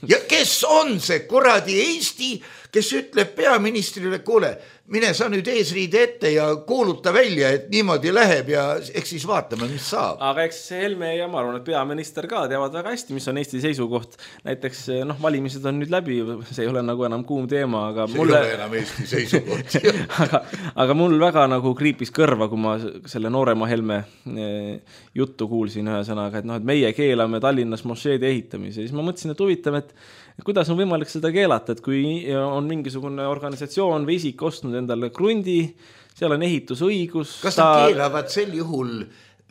Ja kes on see kuradi Eesti, kes ütleb peaministrile, kuule, mine sa nüüd eesriide ette ja kuuluta välja, et niimoodi läheb ja eks siis vaatame, mis saab. Aga eks Helme ja ma arvan, et peaminister ka teavad väga hästi, mis on Eesti seisukoht. Näiteks valimised on nüüd läbi, see ei ole nagu enam kuum teema, aga see ei ole enam Eesti seisukoht. aga mul väga nagu kriipis kõrva, kui ma selle noorema Helme juttu kuulsin ühe sõnaga, et meie keelame Tallinnas mošeede ehitamise. Siis ma mõtlesin, et huvitav, et kuidas on võimalik seda keelata, et kui on mingisugune organisatsioon või isik ostnud endale krundi, seal on ehitusõigus. Kas nad keelavad sel juhul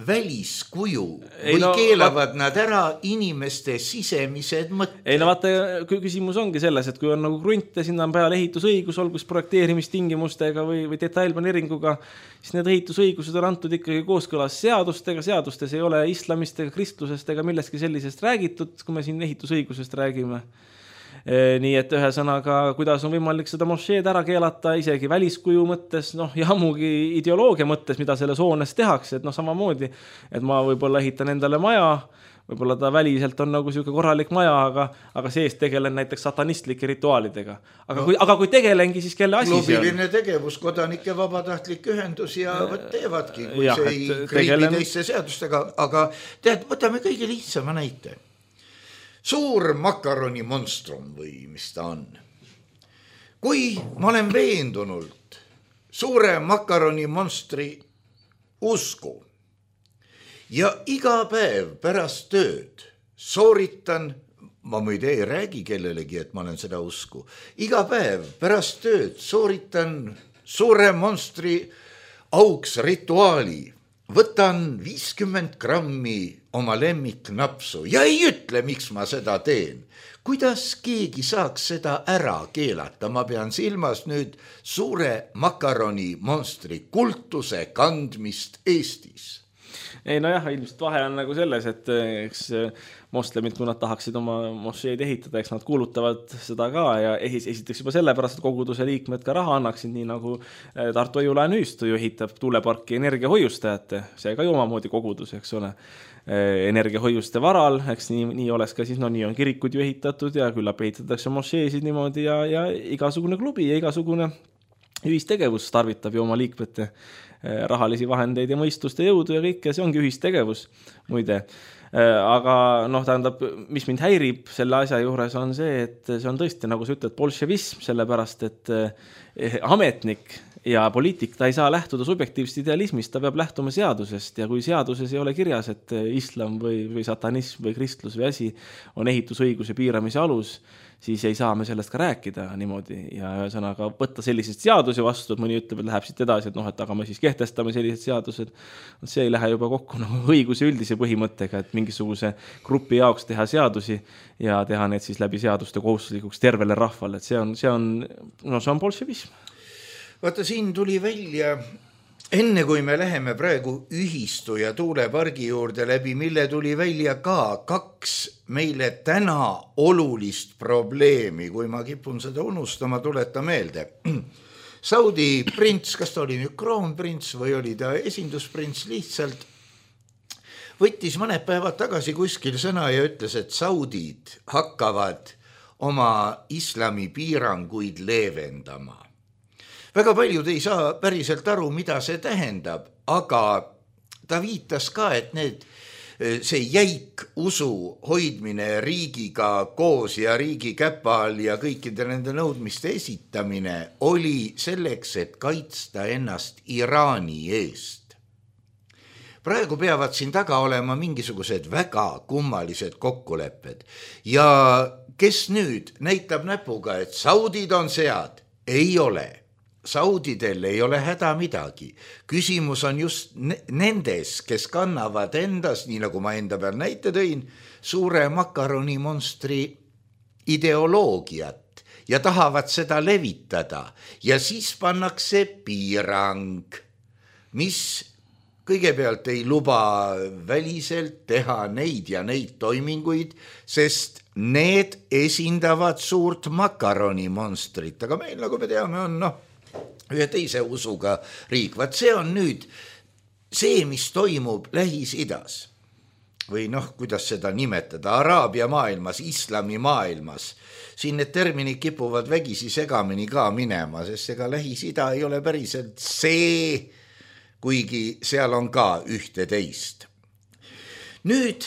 väliskuju või keelavad nad ära inimeste sisemised mõtted? Ei no vaata, küsimus ongi selles, et kui on nagu krunt ja sinna on peal ehitusõigus, olgus projekteerimistingimustega või detailplaneeringuga, siis need ehitusõigused on antud ikkagi kooskõlas seadustega, seadustes ei ole islamist ega kristlusest ega millestki sellisest räägitud, kui me siin ehitusõigusest räägime. Nii et ühesõnaga, kuidas on võimalik seda mošeed ära keelata isegi väliskuju mõttes, ja ammugi ideoloogia mõttes, mida selles hoones tehakse, et samamoodi, et ma võib-olla ehitan endale maja, võib-olla ta väliselt on nagu selline korralik maja, aga sees tegelen näiteks satanistlike rituaalidega. Aga kui tegelengi, siis kelle asi see on? Klubiline tegevus, kodanike vabatahtlik ühendus ja teevadki, kui see ei kriibi teiste seadustega, aga tead, võtame kõige lihtsama näite. Suur makaroni monstrum või mis ta on. Kui ma olen veendunult suure makaroni monstri usku ja iga päev pärast tööd sooritan, ma muide ei räägi kellelegi, et ma olen seda usku, iga päev pärast tööd sooritan suure monstri auks rituaali, võtan 50 grammi oma lemmiknapsu ja ei ütle, miks ma seda teen. Kuidas keegi saaks seda ära keelata? Ma pean silmas nüüd suure makaroni monstri kultuse kandmist Eestis. Ei nojah, ilmselt vahe on nagu selles, et eks moslemid, kui nad tahaksid oma mošeed ehitada, eks nad kuulutavad seda ka ja esiteks juba sellepärast, et koguduse liikmed ka raha annaksid, nii nagu Tartu Õiulaen ühistu ju ehitab tuuleparki energiahoiustajate, see ka ju omamoodi kogudus, eks ole, energiahoiuste varal, eks nii oleks ka siis, nii on kirikud ju ehitatud ja küllap ehitatakse mošeesid niimoodi ja igasugune klubi ja igasugune ühistegevus tarvitab ju oma liikmete rahalisi vahendeid ja mõistust ja jõudu ja kõike, see ongi ühistegevus muide. Aga tähendab, mis mind häirib selle asja juures on see, et see on tõesti, nagu sa ütled, bolševism, sellepärast, et ametnik ja poliitik, ta ei saa lähtuda subjektiivsest idealismist, ta peab lähtuma seadusest ja kui seaduses ei ole kirjas, et islam või satanism või kristlus või asi on ehitusõiguse piiramise alus, siis ei saa me sellest ka rääkida niimoodi ja ühesõnaga võtta sellised seadusi vastu, et mõni ütleb, et läheb siit edasi, et aga me siis kehtestame sellised seadused. See ei lähe juba kokku õiguse üldise põhimõttega, et mingisuguse grupi jaoks teha seadusi ja teha need siis läbi seaduste kohustuslikuks tervele rahvale, et see on bolševism. Vaata, siin tuli välja, enne kui me läheme praegu ühistu ja tuulepargi juurde läbi, mille tuli välja ka 2 meile täna olulist probleemi, kui ma kipun seda unustama, tuleta meelde. Saudi prints, kas ta oli nüüd kroonprints või oli ta esindusprints, lihtsalt võttis mõned päevad tagasi kuskil sõna ja ütles, et saudid hakkavad oma islami piiranguid leevendama. Väga paljud ei saa päriselt aru, mida see tähendab, aga ta viitas ka, et see jäik usu hoidmine riigiga koos ja riigi käpa all ja kõikide nende nõudmiste esitamine oli selleks, et kaitsta ennast Iraani eest. Praegu peavad siin taga olema mingisugused väga kummalised kokkulepped ja kes nüüd näitab näpuga, et saudid on sead, ei ole. Saudidel ei ole häda midagi. Küsimus on just nendes, kes kannavad endas, nii nagu ma enda peal näite tõin, suure makaroni monstri ideoloogiat ja tahavad seda levitada. Ja siis pannakse piirang, mis kõigepealt ei luba väliselt teha neid ja neid toiminguid, sest need esindavad suurt makaroni monstrit. Aga meil, nagu me teame, on ühe teise usuga riik. Vaat see on nüüd see, mis toimub Lähis-Idas. või noh, kuidas seda nimetada, Araabia maailmas, islami maailmas, siin need terminid kipuvad vägisi segamini ka minema, sest ega Lähis-Ida ei ole päriselt see, kuigi seal on ka ühte teist. Nüüd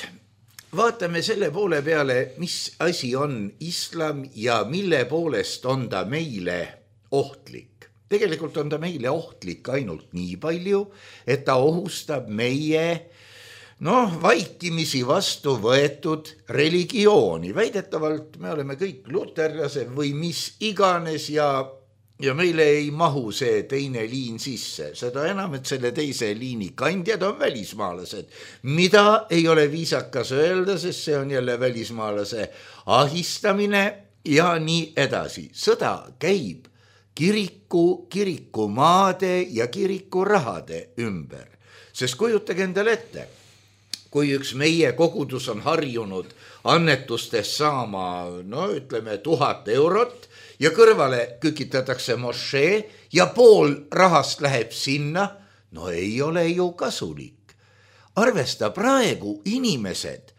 vaatame selle poole peale, mis asi on islam ja mille poolest on ta meile ohtlik. Tegelikult on ta meile ohtlik ainult nii palju, et ta ohustab meie vaikimisi vastu võetud religiooni. Väidetavalt me oleme kõik luterlased või mis iganes ja meile ei mahu see teine liin sisse. Seda enam, et selle teise liini kandjad on välismaalased, mida ei ole viisakas öelda, sest see on jälle välismaalase ahistamine ja nii edasi. Sõda käib kirikumaade ja kirikurahade ümber. Sest kujutage endale ette, kui üks meie kogudus on harjunud annetustest saama, 1000 eurot ja kõrvale kükitatakse mošee ja pool rahast läheb sinna, ei ole ju kasulik. Arvesta, praegu inimesed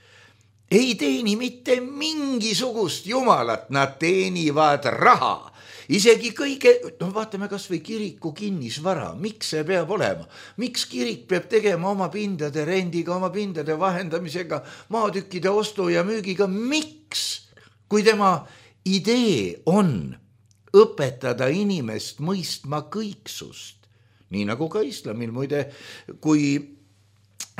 ei teeni mitte mingisugust jumalat, nad teenivad raha. Isegi kõige, vaatame kas või kiriku kinnisvara, miks see peab olema? Miks kirik peab tegema oma pindade rendiga, oma pindade vahendamisega, maatükkide ostu ja müügiga? Miks? Kui tema idee on õpetada inimest mõistma kõiksust, nii nagu ka islamil muide, kui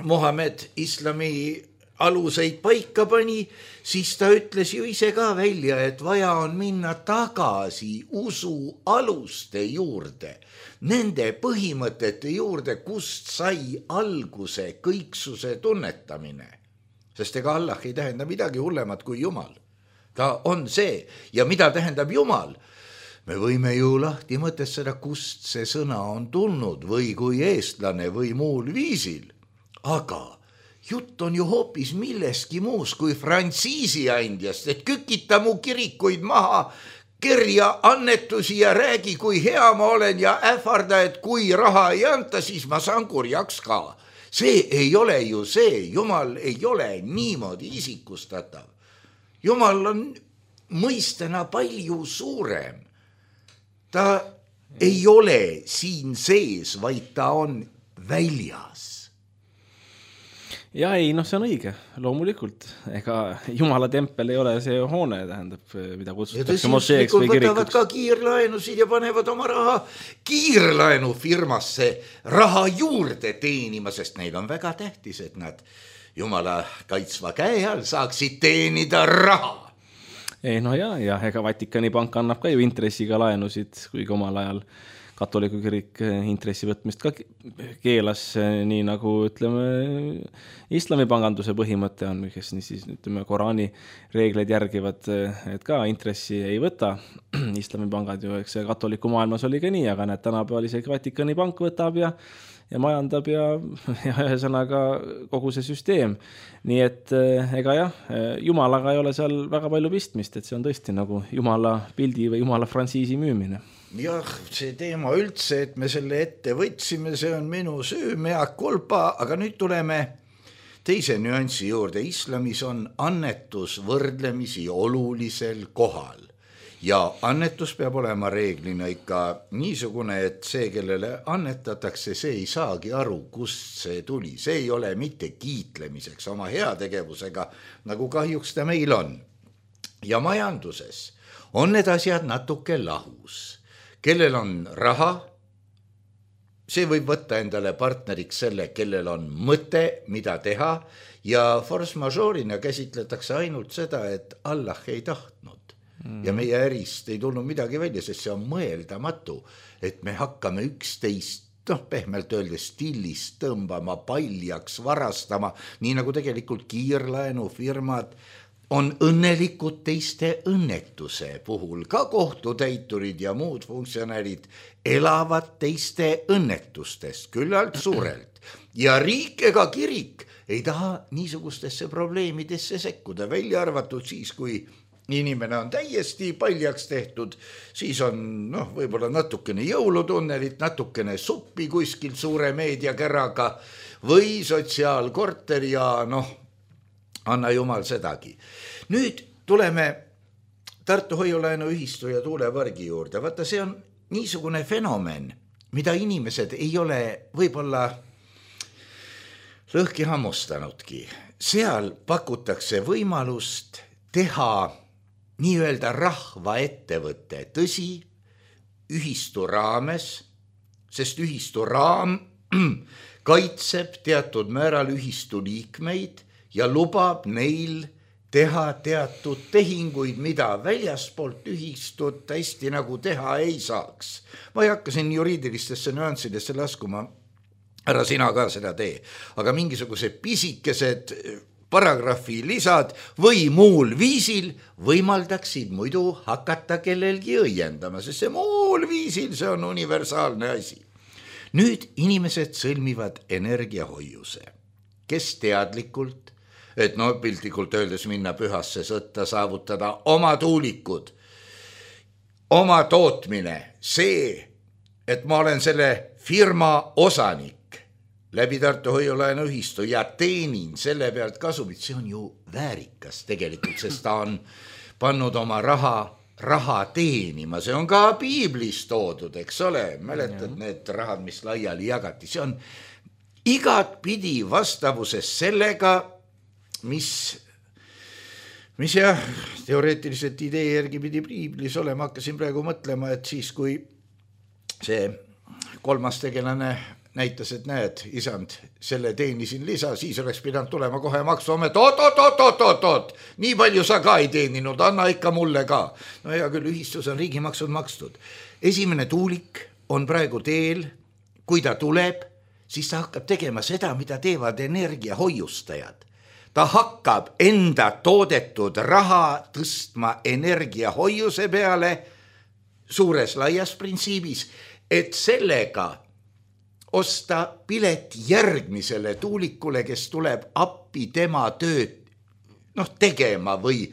Mohamed islami aluseid paika pani, siis ta ütles ju ise ka välja, et vaja on minna tagasi usu aluste juurde, nende põhimõtete juurde, kust sai alguse kõiksuse tunnetamine. Sest ega Allah ei tähenda midagi hullemat kui Jumal. Ta on see. Ja mida tähendab Jumal? Me võime ju lahti mõtestada, kust see sõna on tulnud või kui eestlane või muul viisil. Aga jutt on ju hoopis milleski muus kui frantsiisi andjast, et kükita mu kirikuid maha, kerja annetusi ja räägi, kui hea ma olen ja ähvarda, et kui raha ei anta, siis ma saan kurjaks ka. See ei ole ju see, Jumal ei ole niimoodi isikustatav. Jumal on mõistena palju suurem. Ta ei ole siin sees, vaid ta on väljas. Ja ei, see on õige, loomulikult. Ega Jumala tempel ei ole see hoone, tähendab, mida kutsutakse mošeeks või kirikuks. Võtavad ka kiirlaenusid ja panevad oma raha kiirlaenufirmasse raha juurde teenima, sest neil on väga tähtis, et nad Jumala kaitsva käe all saaksid teenida raha. Ei, ja ega Vatikani pank annab ka ju intressiga laenusid, kuigi omal ajal katoliku kirik intressi võtmist ka keelas, nii nagu ütleme islamipanganduse põhimõte on, kes siis Koraani reegleid järgivad, et ka intressi ei võta. Islamipangad ju, eks katoliku maailmas oli ka nii, aga näed, tänapäeval isegi Vatikani pank võtab ja majandab ja ühesõnaga kogu see süsteem. Nii et ega Jumalaga ei ole seal väga palju pistmist, et see on tõesti nagu Jumala pildi või Jumala frantsiisi müümine. Jah, see teema üldse, et me selle ette võtsime, see on minu süü, mea culpa, aga nüüd tuleme teise nüansi juurde. Islamis on annetus võrdlemisi olulisel kohal ja annetus peab olema reeglina ikka niisugune, et see, kellele annetatakse, see ei saagi aru, kust see tuli. See ei ole mitte kiitlemiseks oma heategevusega, nagu kahjuks ta meil on. Ja majanduses on need asjad natuke lahus. Kellel on raha, see võib võtta endale partneriks selle, kellel on mõte, mida teha ja force majeure'ina käsitletakse ainult seda, et Allah ei tahtnud. Ja meie ärist ei tulnud midagi välja, sest see on mõeldamatu, et me hakkame üksteist, pehmelt öeldes stillist tõmbama, paljaks varastama, nii nagu tegelikult kiirlaenufirmad on õnnelikud teiste õnnetuse puhul. Ka kohtutäiturid ja muud funktsionäärid elavad teiste õnnetustest küllalt suurelt. Ja riik ega kirik ei taha niisugustesse probleemidesse sekkuda, välja arvatud siis, kui inimene on täiesti paljaks tehtud, siis on võib-olla natukene jõulutunnelit, natukene suppi kuskil suure meediakäraga või sotsiaalkorter ja anna jumal sedagi. Nüüd tuleme Tartu Hoiulaenuühistu ja tuulepargi juurde. Vaata, see on niisugune fenomen, mida inimesed ei ole võib-olla lõhki hammustanudki. Seal pakutakse võimalust teha nii-öelda rahvaettevõte, tõsi, ühistu raames, sest ühistu raam kaitseb teatud määral ühistu liikmeid ja lubab neil teha teatud tehinguid, mida väljaspoolt ühistut hästi nagu teha ei saaks. Ma ei hakka siin juriidilistesse nüanssidesse laskuma, ära sina ka seda tee, aga mingisugused pisikesed paragrahvi lisad või muul viisil võimaldaksid muidu hakata kellelgi õiendama, sest see muul viisil, see on universaalne asi. Nüüd inimesed sõlmivad energiahoiuse, kes teadlikult, et piltlikult öeldes minna pühasse sõtta, saavutada oma tuulikud, oma tootmine, see, et ma olen selle firma osanik läbi Tartu Hoiulaenuühistu ja teenin selle pealt kasumit, see on ju väärikas tegelikult, sest ta on pannud oma raha teenima, see on ka piiblis toodud, eks ole, mäletad need rahad, mis laiali jagati, see on igat pidi vastavuses sellega, mis jah, teoreetiliselt idee järgi pidi piiblis olema, hakkasin praegu mõtlema, et siis kui see kolmas tegelane näitas, et näed, isand, selle teenisin lisa, siis oleks pidanud tulema kohe maksuamet, oot, nii palju sa ka ei teeninud, anna ikka mulle ka. No hea küll, ühistus on riigimaksud makstud. Esimene tuulik on praegu teel, kui ta tuleb, siis ta hakkab tegema seda, mida teevad energiahoiustajad. Ta hakkab enda toodetud raha tõstma energiahoiuse peale suures laias printsiibis, et sellega osta pilet järgmisele tuulikule, kes tuleb appi tema tööd tegema või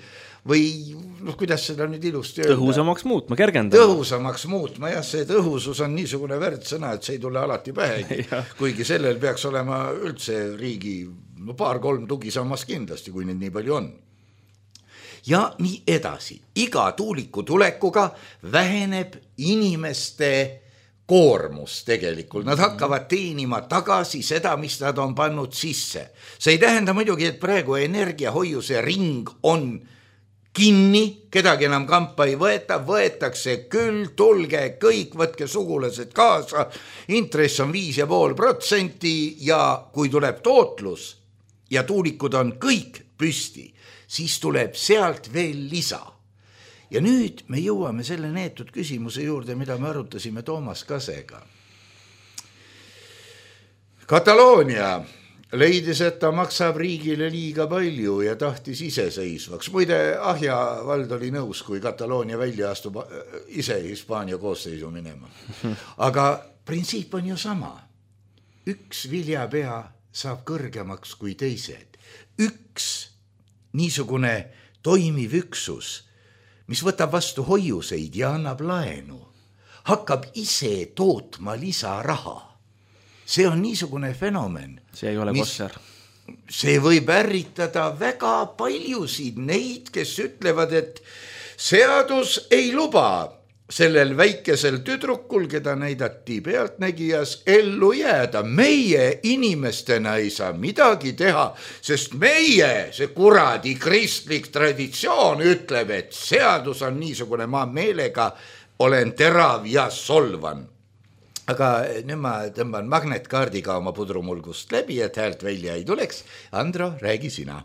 kuidas seda nüüd ilusti öelda? Tõhusamaks muutma, kergendama. Tõhusamaks muutma, jah, see tõhusus on niisugune värdsõna, et see ei tule alati pähe, kuigi sellel peaks olema üldse riigi 2-3 tugisammas kindlasti, kui neid nii palju on. Ja nii edasi. Iga tuuliku tulekuga väheneb inimeste koormus tegelikult. Nad hakkavad teenima tagasi seda, mis nad on pannud sisse. See ei tähenda muidugi, et praegu energiahoiuse ring on kinni, kedagi enam kampa ei võeta, võetakse küll, tulge kõik, võtke sugulased kaasa, intress on 5,5% ja kui tuleb tootlus ja tuulikud on kõik püsti, siis tuleb sealt veel lisa. Ja nüüd me jõuame selle neetud küsimuse juurde, mida me arutasime Toomas Kasega. Kataloonia leidis, et ta maksab riigile liiga palju ja tahtis iseseisvaks. Muide, Ahja vald oli nõus, kui Kataloonia välja astub ise Hispaania koosseisu minema. Aga printsiip on ju sama. Üks viljapea saab kõrgemaks kui teised. Üks niisugune toimiv üksus, mis võtab vastu hoiuseid ja annab laenu, hakkab ise tootma lisaraha. See on niisugune fenomen. See ei ole kosser. See võib ärritada väga paljusid neid, kes ütlevad, et seadus ei luba sellel väikesel tüdrukul, keda näidati pealtnägijas, ellu jääda. Meie inimestena ei saa midagi teha, sest meie, see kuradi kristlik traditsioon ütleb, et seadus on niisugune, ma meelega olen terav ja solvan. Aga nüüd ma tõmban magnetkaardiga oma pudrumulgust läbi, et häält välja ei tuleks. Andro, räägi sina.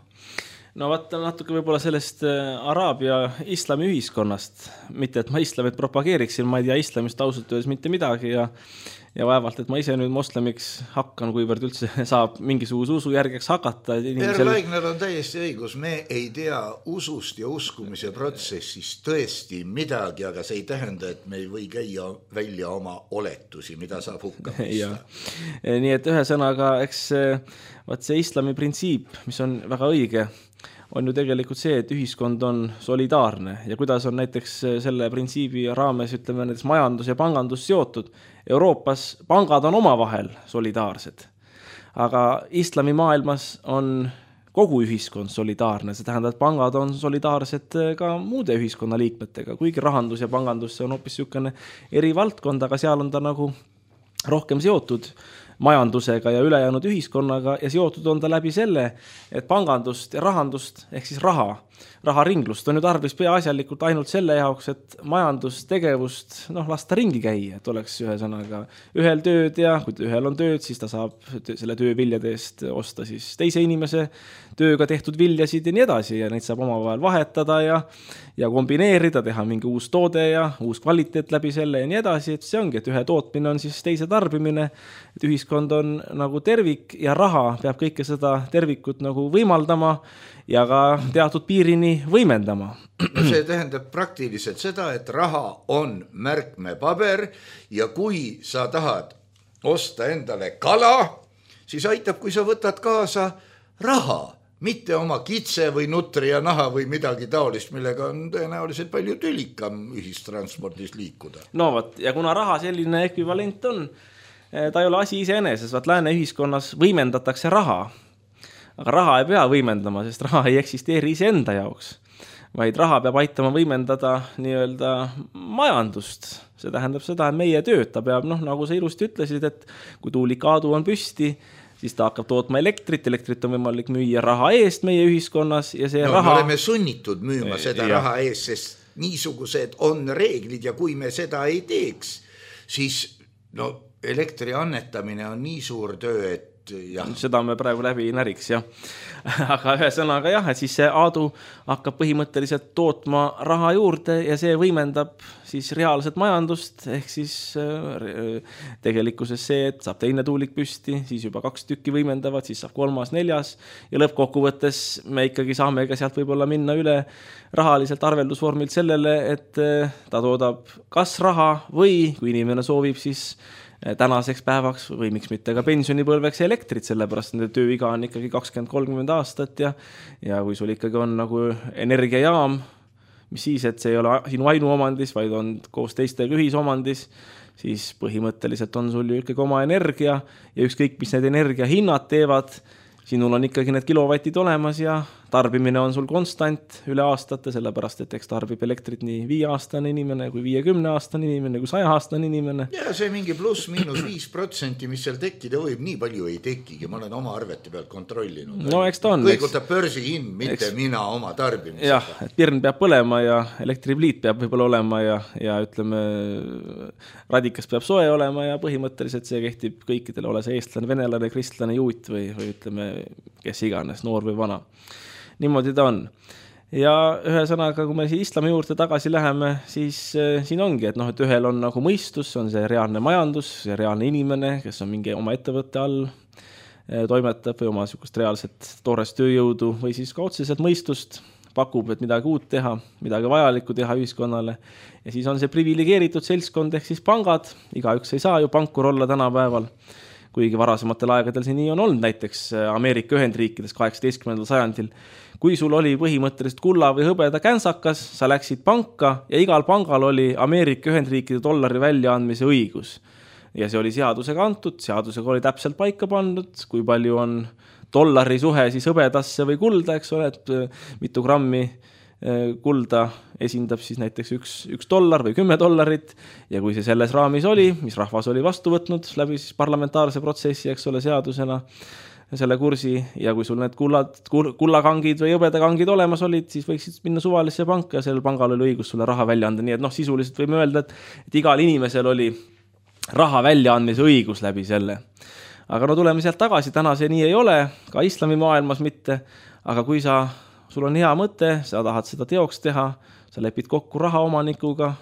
No vaata natuke võib-olla sellest Araabia islami ühiskonnast, mitte et ma islamit propageeriksin, ma ei tea islamist ausalt öeldes mitte midagi ja vaevalt, et ma ise nüüd moslemiks hakkan, kuivõrd üldse saab mingisuguse usu järgeks hakata. Laigner on täiesti õigus, me ei tea usust ja uskumise protsessist tõesti midagi, aga see ei tähenda, et me ei või käia välja oma oletusi, mida saab hukka mõista. Nii et ühe sõnaga, eks see islami printsiip, mis on väga õige, on ju tegelikult see, et ühiskond on solidaarne ja kuidas on näiteks selle printsiibi raames, ütleme, näiteks majandus ja pangandus seotud. Euroopas pangad on omavahel solidaarsed, aga islami maailmas on kogu ühiskond solidaarne, see tähendab, et pangad on solidaarsed ka muude ühiskonnaliikmetega, kuigi rahandus ja pangandus see on hoopis niisugune eri valdkond, aga seal on ta nagu rohkem seotud majandusega ja ülejäänud ühiskonnaga ja seotud on ta läbi selle, et pangandust ja rahandust ehk siis raharinglust on ju tarvis peaasjalikult ainult selle jaoks, et majandustegevust lasta ringi käia, et oleks ühesõnaga ühel tööd ja kui ühel on tööd, siis ta saab selle töö viljade eest osta siis teise inimese tööga tehtud viljasid ja nii edasi ja neid saab omavahel vahetada ja kombineerida, teha mingi uus toode ja uus kvaliteet läbi selle ja nii edasi, et see ongi, et ühe tootmine on siis teise tarbimine, et ühiskond on nagu tervik ja raha peab kõike seda tervikut nagu võimaldama ja ka teatud piirini võimendama. See tähendab praktiliselt seda, et raha on märkmepaber ja kui sa tahad osta endale kala, siis aitab, kui sa võtad kaasa raha, mitte oma kitse või nutri ja naha või midagi taolist, millega on tõenäoliselt palju tülikam ühistranspordis liikuda. No vot, ja kuna raha selline ekvivalent on, ta ei ole asi iseeneses, vaat lääne ühiskonnas võimendatakse raha. Aga raha ei pea võimendama, sest raha ei eksisteeri iseenda jaoks, vaid raha peab aitama võimendada nii-öelda majandust. See tähendab seda, et meie tööd ta peab, nagu sa ilusti ütlesid, et kui tuulikaadu on püsti, siis ta hakkab tootma elektrit on võimalik müüa raha eest meie ühiskonnas ja see raha... Me oleme sunnitud müüma seda raha eest, sest niisugused on reeglid ja kui me seda ei teeks, siis elektri annetamine on nii suur töö, et jah. Seda me praegu läbi ei näriks, jah. Aga ühesõnaga jah, et siis see aadu hakkab põhimõtteliselt tootma raha juurde ja see võimendab siis reaalset majandust, ehk siis tegelikkuses see, et saab teine tuulik püsti, siis juba 2 tükki võimendavad, siis saab 3., 4. ja lõppkokkuvõttes me ikkagi saame ka sealt võib-olla minna üle rahaliselt arveldusvormilt sellele, et ta toodab kas raha või kui inimene soovib siis tänaseks päevaks või miks mitte ka pensionipõlveks elektrit, sellepärast nende tööiga on ikkagi 20-30 aastat ja kui sul ikkagi on nagu energiajaam, mis siis, et see ei ole sinu ainuomandis, vaid on koos teistega ühisomandis, siis põhimõtteliselt on sul ju ikkagi oma energia ja ükskõik, mis need energiahinnad teevad, sinul on ikkagi need kilovatid olemas ja tarbimine on sul konstant üle aastate, sellepärast, et eks tarbib elektrit nii 5-aastane inimene kui 50-aastane inimene kui 100-aastane inimene. Ja see mingi pluss-miinus 5%, mis seal tekkida võib, nii palju ei tekigi, ma olen oma arvete pealt kontrollinud. No eks ta on. Kõigutab börsihind, mitte mina oma tarbimisega. Jah, et pirn peab põlema ja elektripliit peab võib-olla olema ja ütleme, radikas peab soe olema ja põhimõtteliselt see kehtib kõikidele, ole see eestlane, venelane, kristlane, juut või ütleme, kes iganes, noor või vana. Niimoodi ta on. Ja ühesõnaga, kui me islami juurde tagasi läheme, siis siin ongi, et et ühel on nagu mõistus, on see reaalne majandus, see reaalne inimene, kes on mingi oma ettevõtte all toimetab või oma niisugust reaalset toorest tööjõudu või siis ka otseselt mõistust pakub, et midagi uut teha, midagi vajalikku teha ühiskonnale. Ja siis on see privilegeeritud seltskond ehk siis pangad, igaüks ei saa ju pankur olla tänapäeval, kuigi varasematel aegadel see nii on olnud, näiteks Ameerika Ühendriikides 18. sajandil. Kui sul oli põhimõtteliselt kulla või hõbeda känsakas, sa läksid panka ja igal pangal oli Ameerika Ühendriikide dollari väljaandmise õigus. Ja see oli seadusega antud, seadusega oli täpselt paika pandud, kui palju on dollari suhe siis hõbedasse või kulda, eks ole, et mitu grammi kulda esindab siis näiteks $1 või $10 ja kui see selles raamis oli, mis rahvas oli vastu võtnud läbi siis parlamentaarse protsessi, eks ole, seadusena selle kursi ja kui sul need kullakangid või hõbedakangid olemas olid, siis võiksid minna suvalisse panka ja sellel pangal oli õigus sulle raha välja anda, nii et sisuliselt võime öelda, et igal inimesel oli raha väljaandmise õigus läbi selle. Aga tuleme sealt tagasi, täna see nii ei ole, ka islami maailmas mitte, aga kui sul on hea mõte, sa tahad seda teoks teha, sa lepid kokku rahaomanikuga,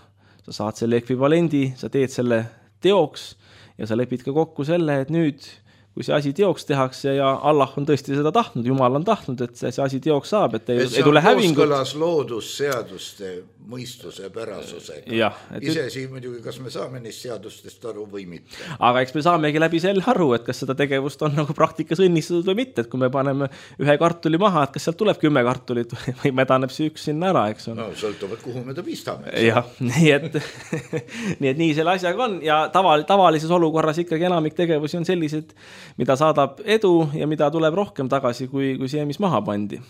sa saad selle ekvivalendi, sa teed selle teoks ja sa lepid ka kokku selle, et nüüd, kui see asi teoks tehakse ja Allah on tõesti seda tahtnud, Jumal on tahtnud, et see asi teoks saab, et ei tule hävingut. See on kooskõlas loodusseaduste mõistuse pärasusega. Ja, Isesi muidugi, kas me saame neist seadustest aru või mitte. Aga eks me saamegi läbi selle aru, et kas seda tegevust on nagu praktikas õnnistatud või mitte, et kui me paneme ühe kartuli maha, et kas sealt tuleb 10 kartulit või medaneb see üks sinna ära, eks on. No sõltuvad, kuhu me ta pistame. Jah, nii et nii selle asjaga on ja tavalises olukorras ikkagi enamik tegevusi on sellised, mida saadab edu ja mida tuleb rohkem tagasi kui see, mis maha pandi,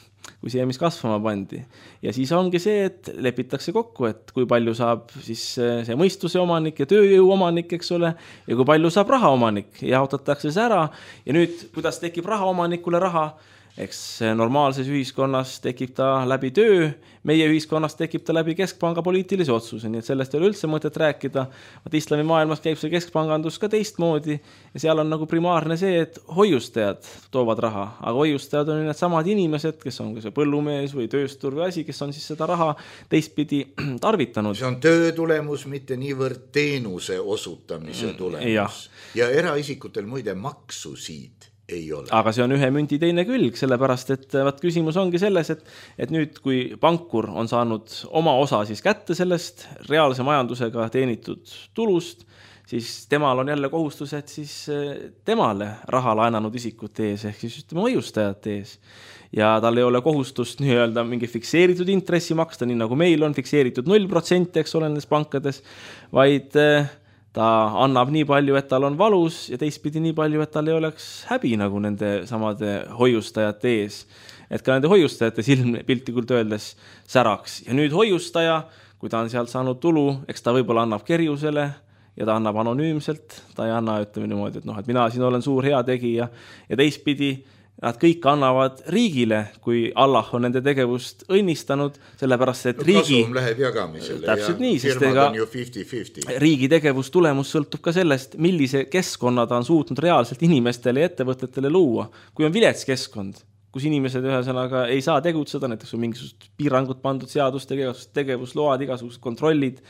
kui see, mis kasvama pandi. Ja siis ongi see, et lepitakse kokku, et kui palju saab siis see mõistuse omanik ja tööjõu omanik, eks ole, ja kui palju saab raha omanik ja jaotatakse see ära. Ja nüüd, kuidas tekib raha omanikule raha, eks normaalses ühiskonnas tekib ta läbi töö, meie ühiskonnas tekib ta läbi keskpanga poliitilise otsuse, nii et sellest ei ole üldse mõtet rääkida. Islami maailmas käib see keskpangandus ka teistmoodi ja seal on nagu primaarne see, et hoiustajad toovad raha, aga hoiustajad on need samad inimesed, kes on see põllumees või tööstur või asi, kes on siis seda raha teistpidi tarvitanud. See on töö tulemus, mitte niivõrd teenuse osutamise tulemus. Ja eraisikutel muide maksu siit ei ole. Aga see on ühe münti teine külg, sellepärast, et küsimus ongi selles, et nüüd, kui pankur on saanud oma osa siis kätte sellest reaalse majandusega teenitud tulust, siis temal on jälle kohustused siis temale raha laenanud isikute ees, ehk siis ütleme hoiustajate ees. Ja tal ei ole kohustust nii-öelda mingi fikseeritud intressi maksta, nii nagu meil on fikseeritud 0%, eks ole, nendes pankades, vaid ta annab nii palju, et tal on valus ja teistpidi nii palju, et tal ei oleks häbi nagu nende samade hoiustajate ees. Et ka nende hoiustajate silm piltlikult öeldes säraks. Ja nüüd hoiustaja, kui ta on sealt saanud tulu, eks ta võib-olla annab kerjusele ja ta annab anonüümselt. Ta ei anna, ütleme niimoodi, et mina siin olen suur hea tegija ja teistpidi nad kõik annavad riigile, kui Allah on nende tegevust õnnistanud, sellepärast, et riigi... Kasum läheb jagamisele täpselt ja nii, firmad on ju 50-50. Riigi tegevustulemus sõltub ka sellest, millise keskkonna ta on suutnud reaalselt inimestele ja ettevõtetele luua. Kui on vilets keskkond, kus inimesed ühesõnaga ei saa tegutseda, näiteks on mingisugused piirangud pandud seadustega, tegevusload, igasugused kontrollid,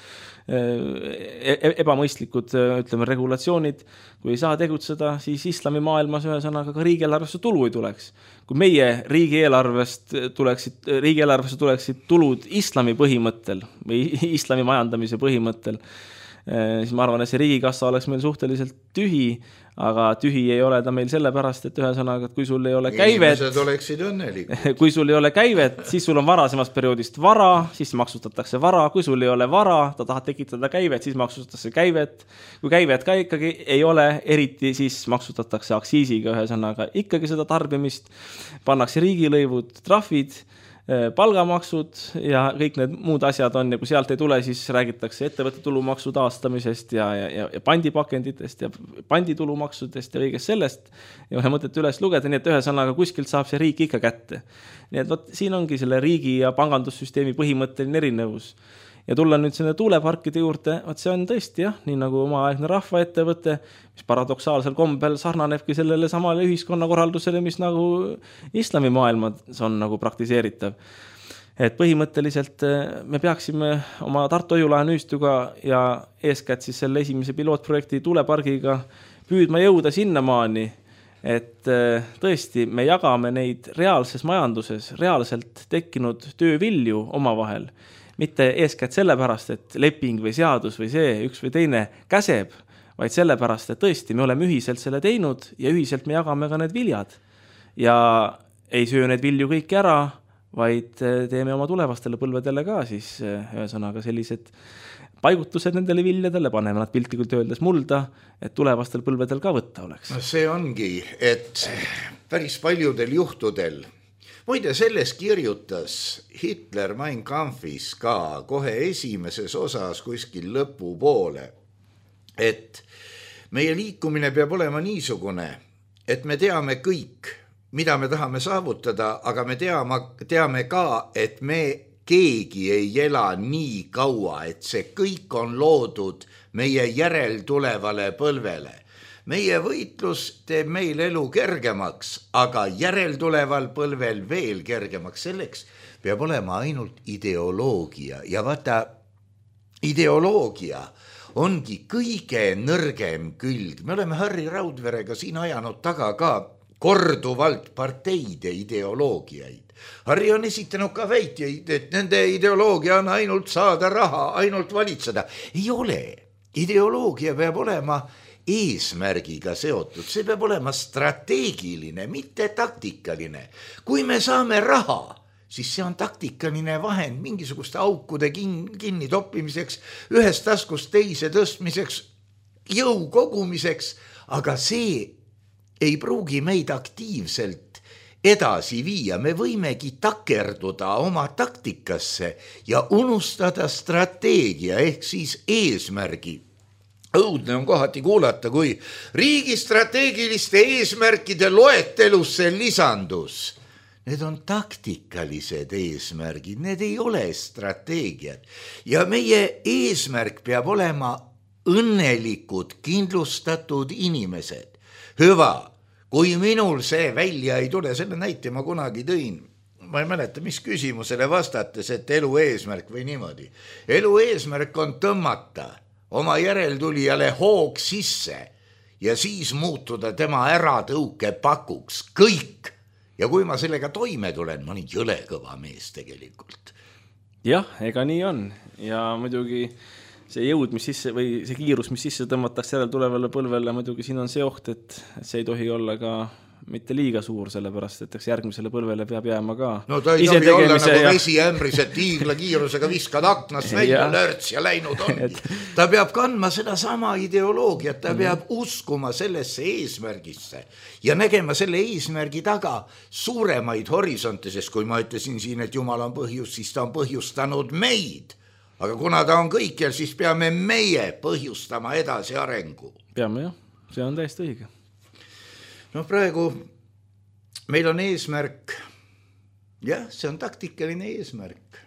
ebamõistlikud, ütleme, regulatsioonid. Kui ei saa tegutseda, siis islami maailmas ühesõnaga ka riigieelarvesse tulu ei tuleks. Kui meie riigieelarvesse tuleksid tulud islami põhimõttel või islami majandamise põhimõttel, siis ma arvan, et see riigikassa oleks meil suhteliselt tühi, aga tühi ei ole ta meil sellepärast, et ühesõnaga, et kui sul ei ole käivet, inimesed oleksid õnnelikud. Kui sul ei ole käivet, siis sul on varasemast perioodist vara, siis maksustatakse vara, kui sul ei ole vara, ta tahab tekitada käivet, siis maksustatakse käivet. Kui käivet ka ikkagi ei ole eriti, siis maksustatakse aktsiisiga ühesõnaga ikkagi seda tarbimist, pannakse riigilõivud, trahvid, palgamaksud ja kõik need muud asjad on ja kui sealt ei tule, siis räägitakse ettevõtte tulumaksu taastamisest ja pandipakenditest ja panditulumaksudest ja kõigest sellest ja ühe mõtet üles lugeda, nii et ühesõnaga kuskilt saab see riik ikka kätte. Nii et siin ongi selle riigi ja pangandussüsteemi põhimõtteline erinevus. Ja tulla nüüd selle tuuleparkide juurde, see on tõesti nii nagu omaaegne rahvaettevõte, mis paradoksaalsel kombel sarnanebki sellele samale ühiskonnakorraldusele, mis nagu islami maailmas on nagu praktiseeritav. Et põhimõtteliselt me peaksime oma Tartu Hoiulahe nüüstuga ja eeskätt siis selle esimese pilootprojekti tuulepargiga püüdma jõuda sinnamaani, et tõesti me jagame neid reaalses majanduses reaalselt tekkinud töövilju omavahel. Mitte eeskätt sellepärast, et leping või seadus või see üks või teine käseb, vaid sellepärast, et tõesti me oleme ühiselt selle teinud ja ühiselt me jagame ka need viljad. Ja ei söö need vilju kõik ära, vaid teeme oma tulevastele põlvedele ka siis ühesõnaga sellised paigutused nendele viljadele, paneme nad piltlikult öeldes mulda, et tulevastel põlvedel ka võtta oleks. No see ongi, et päris paljudel juhtudel muide, selles kirjutas Hitler Mein Kampfis ka kohe esimeses osas kuskil lõpupoole, et meie liikumine peab olema niisugune, et me teame kõik, mida me tahame saavutada, aga me teame ka, et me keegi ei ela nii kaua, et see kõik on loodud meie järeltulevale põlvele. Meie võitlus teeb meil elu kergemaks, aga järeltuleval põlvel veel kergemaks. Selleks peab olema ainult ideoloogia. Ja vaata, ideoloogia ongi kõige nõrgem külg. Me oleme Harri Raudverega siin ajanud taga ka korduvalt parteide ideoloogiaid. Harri on esitanud ka väiteid, et nende ideoloogia on ainult saada raha, ainult valitseda. Ei ole. Ideoloogia peab olema eesmärgiga seotud, see peab olema strateegiline, mitte taktikaline. Kui me saame raha, siis see on taktikaline vahend mingisuguste aukude kinni toppimiseks, ühest taskust teise tõstmiseks, jõu kogumiseks, aga see ei pruugi meid aktiivselt edasi viia, me võimegi takerduda oma taktikasse ja unustada strateegia ehk siis eesmärgi. Õudne on kohati kuulata, kui riigi strateegiliste eesmärkide loetelusse lisandus. Need on taktikalised eesmärgid, need ei ole strateegiad. Ja meie eesmärk peab olema õnnelikud, kindlustatud inimesed. Hüva, kui minul see välja ei tule, selle näite ma kunagi tõin. Ma ei mäleta, mis küsimusele vastates, et elu eesmärk või niimoodi. Elu eesmärk on tõmmata oma järeltulijale hoog sisse ja siis muutuda tema äratõuke pakuks. Kõik. Ja kui ma sellega toime tulen, ma olen jõle kõva mees tegelikult. Jah, ega nii on. Ja muidugi see jõud, mis sisse, või see kiirus, mis sisse tõmmatakse järel tulevale põlvele, muidugi siin on see oht, et see ei tohi olla ka mitte liiga suur, sellepärast, et järgmisele põlvele peab jääma ka. No ta ei tohi olla nagu vesiämbris, et tiigla kiirusega viskad aknast välja, lörts ja läinud ongi. Ta peab kandma seda sama ideoloogiat, ta peab uskuma sellesse eesmärgisse ja nägema selle eesmärgi taga suuremaid horisonte, sest kui ma ütlesin siin, et Jumal on põhjus, siis ta on põhjustanud meid. Aga kuna ta on kõikjal, siis peame meie põhjustama edasi arengu. Peame jah, see on täiesti õige. No praegu meil on eesmärk, jah, see on taktikaline eesmärk.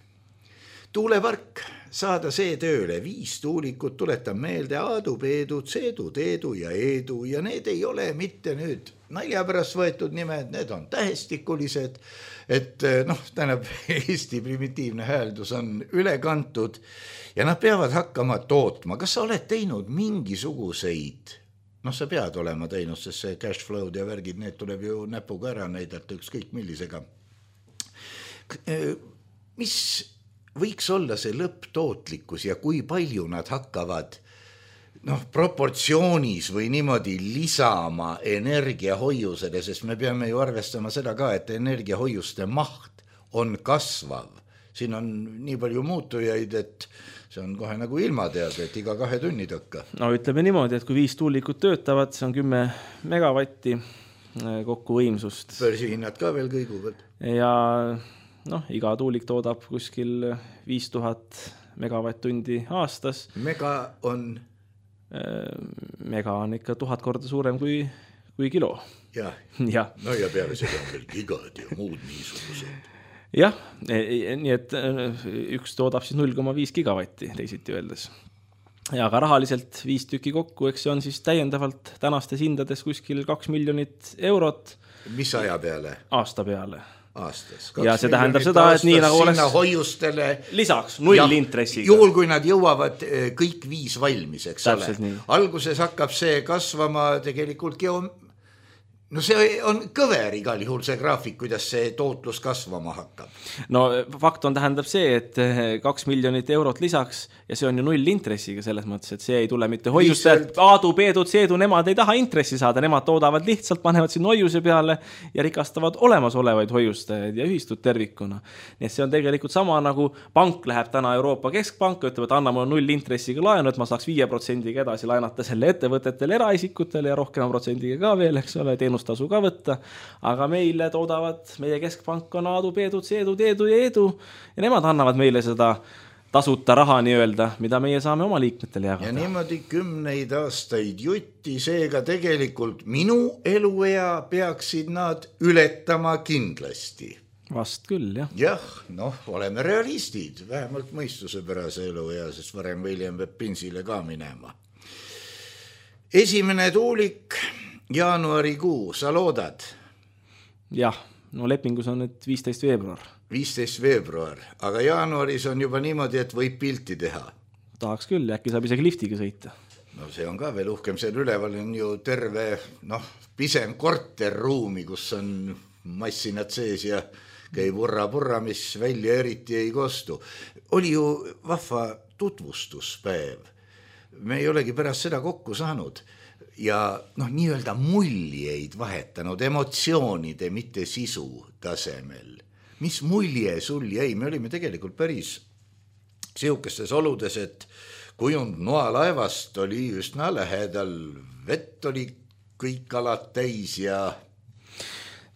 Tuulepark, saada see tööle, 5 tuulikut, tuletan meelde, Aadu, Peedu, Tseedu, Teedu ja Eedu ja need ei ole mitte nüüd naljapärast võetud nimed, need on tähestikulised, et tähendab, Eesti primitiivne hääldus on üle kantud ja nad peavad hakkama tootma. Kas sa oled teinud mingisuguseid, sa pead olema teinud, sest see cash flow ja värgid, need tuleb ju näpuga ära näidata ükskõik millisega. Mis võiks olla see lõpptootlikkus ja kui palju nad hakkavad proportsioonis või niimoodi lisama energiahoiusele, sest me peame ju arvestama seda ka, et energiahoiuste maht on kasvav. Siin on nii palju muutujaid, et see on kohe nagu ilmatead, et iga 2 tunni tõkka. No ütleme niimoodi, et kui 5 tuulikut töötavad, see on 10 megavatti kokku võimsust. Börsihinnad ka veel kõiguvad. Ja iga tuulik toodab kuskil 5000 megavatt-tundi aastas. Mega on ikka 1000 korda suurem kui kilo. Ja. No ja peale seda on veel gigad ja muud niisugused. Jah, nii et üks toodab siis 0,5 gigavatti teisiti öeldes. Ja aga rahaliselt 5 tükki kokku, eks see on siis täiendavalt tänastes hindades kuskil 2 miljonit eurot. Mis aja peale? Aasta peale. Aastas. Ja see tähendab seda, et nii nagu oleks hoiustele lisaks 0 intressiga. Juhul, kui nad jõuavad kõik 5 valmis, eks täpselt ole. Nii. Alguses hakkab see kasvama tegelikult see on kõver igal juhul see graafik, kuidas see tootlus kasvama hakkab. No fakt on tähendab see, et 2 miljonit eurot lisaks ja see on ju 0 intressiga selles mõttes, et see ei tule mitte hoiustajad. Aadu, Peedu, Tseedu, nemad ei taha intressi saada, nemad toodavad lihtsalt, panevad siin hoiuse peale ja rikastavad olemasolevaid hoiustajaid ja ühistud tervikuna. Nii et see on tegelikult sama nagu pank läheb täna Euroopa Keskpanka, ütleb, et anna mulle 0 intressiga laenu, et ma saaks 5% edasi laenata selle ettevõtetele, eraisikutele ja rohkema protsendiga ka veel, eks ole, teenustasu ka võtta, aga meile toodavad, meie keskpank on Aadu, Peedu, Tseedu, Teedu ja Eedu ja nemad annavad meile seda tasuta raha nii-öelda, mida meie saame oma liikmetele jagada. Ja niimoodi 10 aastaid jutti, seega tegelikult minu eluea peaksid nad ületama kindlasti. Vast küll, jah. Jah, oleme realistid, vähemalt mõistusepärase eluea, sest varem või hiljem peab pinsile ka minema. Esimene tuulik jaanuarikuu, sa loodad? Jah, lepingus on nüüd 15 veebruar. 15 veebruar, aga jaanuaris on juba niimoodi, et võib pilti teha. Tahaks küll, äkki saab isegi liftiga sõita. No see on ka veel uhkem, seal üleval on ju terve, pisem korterruumi, kus on massinad sees ja käib urra, mis välja eriti ei kostu. Oli ju vahva tutvustuspäev. Me ei olegi pärast seda kokku saanud. Ja nii-öelda muljeid vahetanud emotsioonide, mitte sisu tasemel. Mis mulje sul jäi? Me olime tegelikult päris sihukestes oludes, et kujund noalaevast oli üsna lähedal, vett oli kõik alad täis ja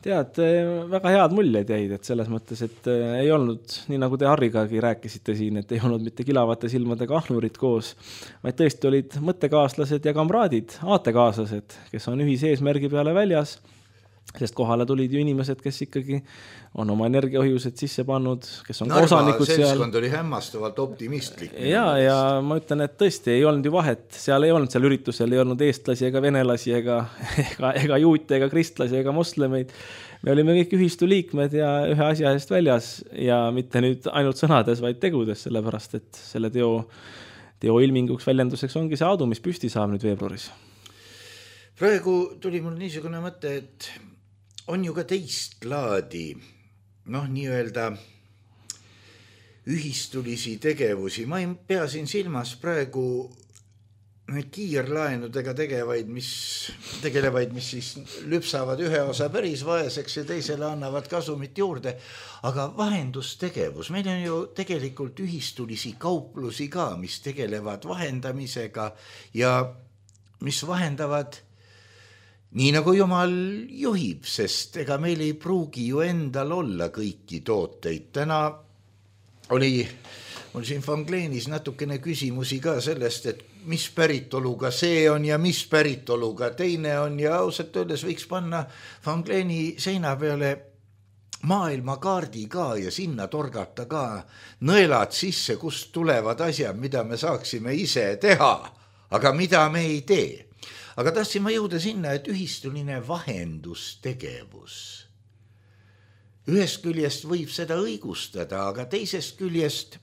tead, väga head muljed jäid, et selles mõttes, et ei olnud, nii nagu te Harrigagi rääkisite siin, et ei olnud mitte kilavate silmadega ahnurid koos, vaid tõesti olid mõttekaaslased ja kamraadid, aatekaaslased, kes on ühise eesmärgi peale väljas, sest kohale tulid ju inimesed, kes ikkagi on oma energiahoiused sisse pannud, kes on osanikud seal. Seltskond oli hämmastavalt optimistlik. Ja ma ütlen, et tõesti ei olnud ju vahet, seal ei olnud seal üritusel, ei olnud eestlasi ega venelasi ega juute ega kristlasi ega moslemeid. Me olime kõik ühistu liikmed ja ühe asja eest väljas ja mitte nüüd ainult sõnades, vaid tegudes, sellepärast, et selle teo ilminguks väljenduseks ongi see Aadu, mis püsti saab nüüd veebruaris. Praegu tuli mul niisugune mõte, et on ju ka teist laadi, nii-öelda ühistulisi tegevusi. Ma ei pea siin silmas praegu kiirlaenudega tegelevaid, mis siis lüpsavad ühe osa päris vaeseks ja teisele annavad kasumit juurde. Aga vahendustegevus, meil on ju tegelikult ühistulisi kauplusi ka, mis tegelevad vahendamisega ja mis vahendavad nii nagu Jumal juhib, sest ega meil ei pruugi ju endal olla kõiki tooteid. Täna oli mul siin Fangleenis natukene küsimusi ka sellest, et mis päritoluga see on ja mis päritoluga teine on ja ausalt öeldes võiks panna Fangleeni seina peale maailmakaardi ka ja sinna torgata ka nõelad sisse, kust tulevad asjad, mida me saaksime ise teha, aga mida me ei tee. Aga tahtsin ma jõuda sinna, et ühistuline vahendustegevus. Ühest küljest võib seda õigustada, aga teisest küljest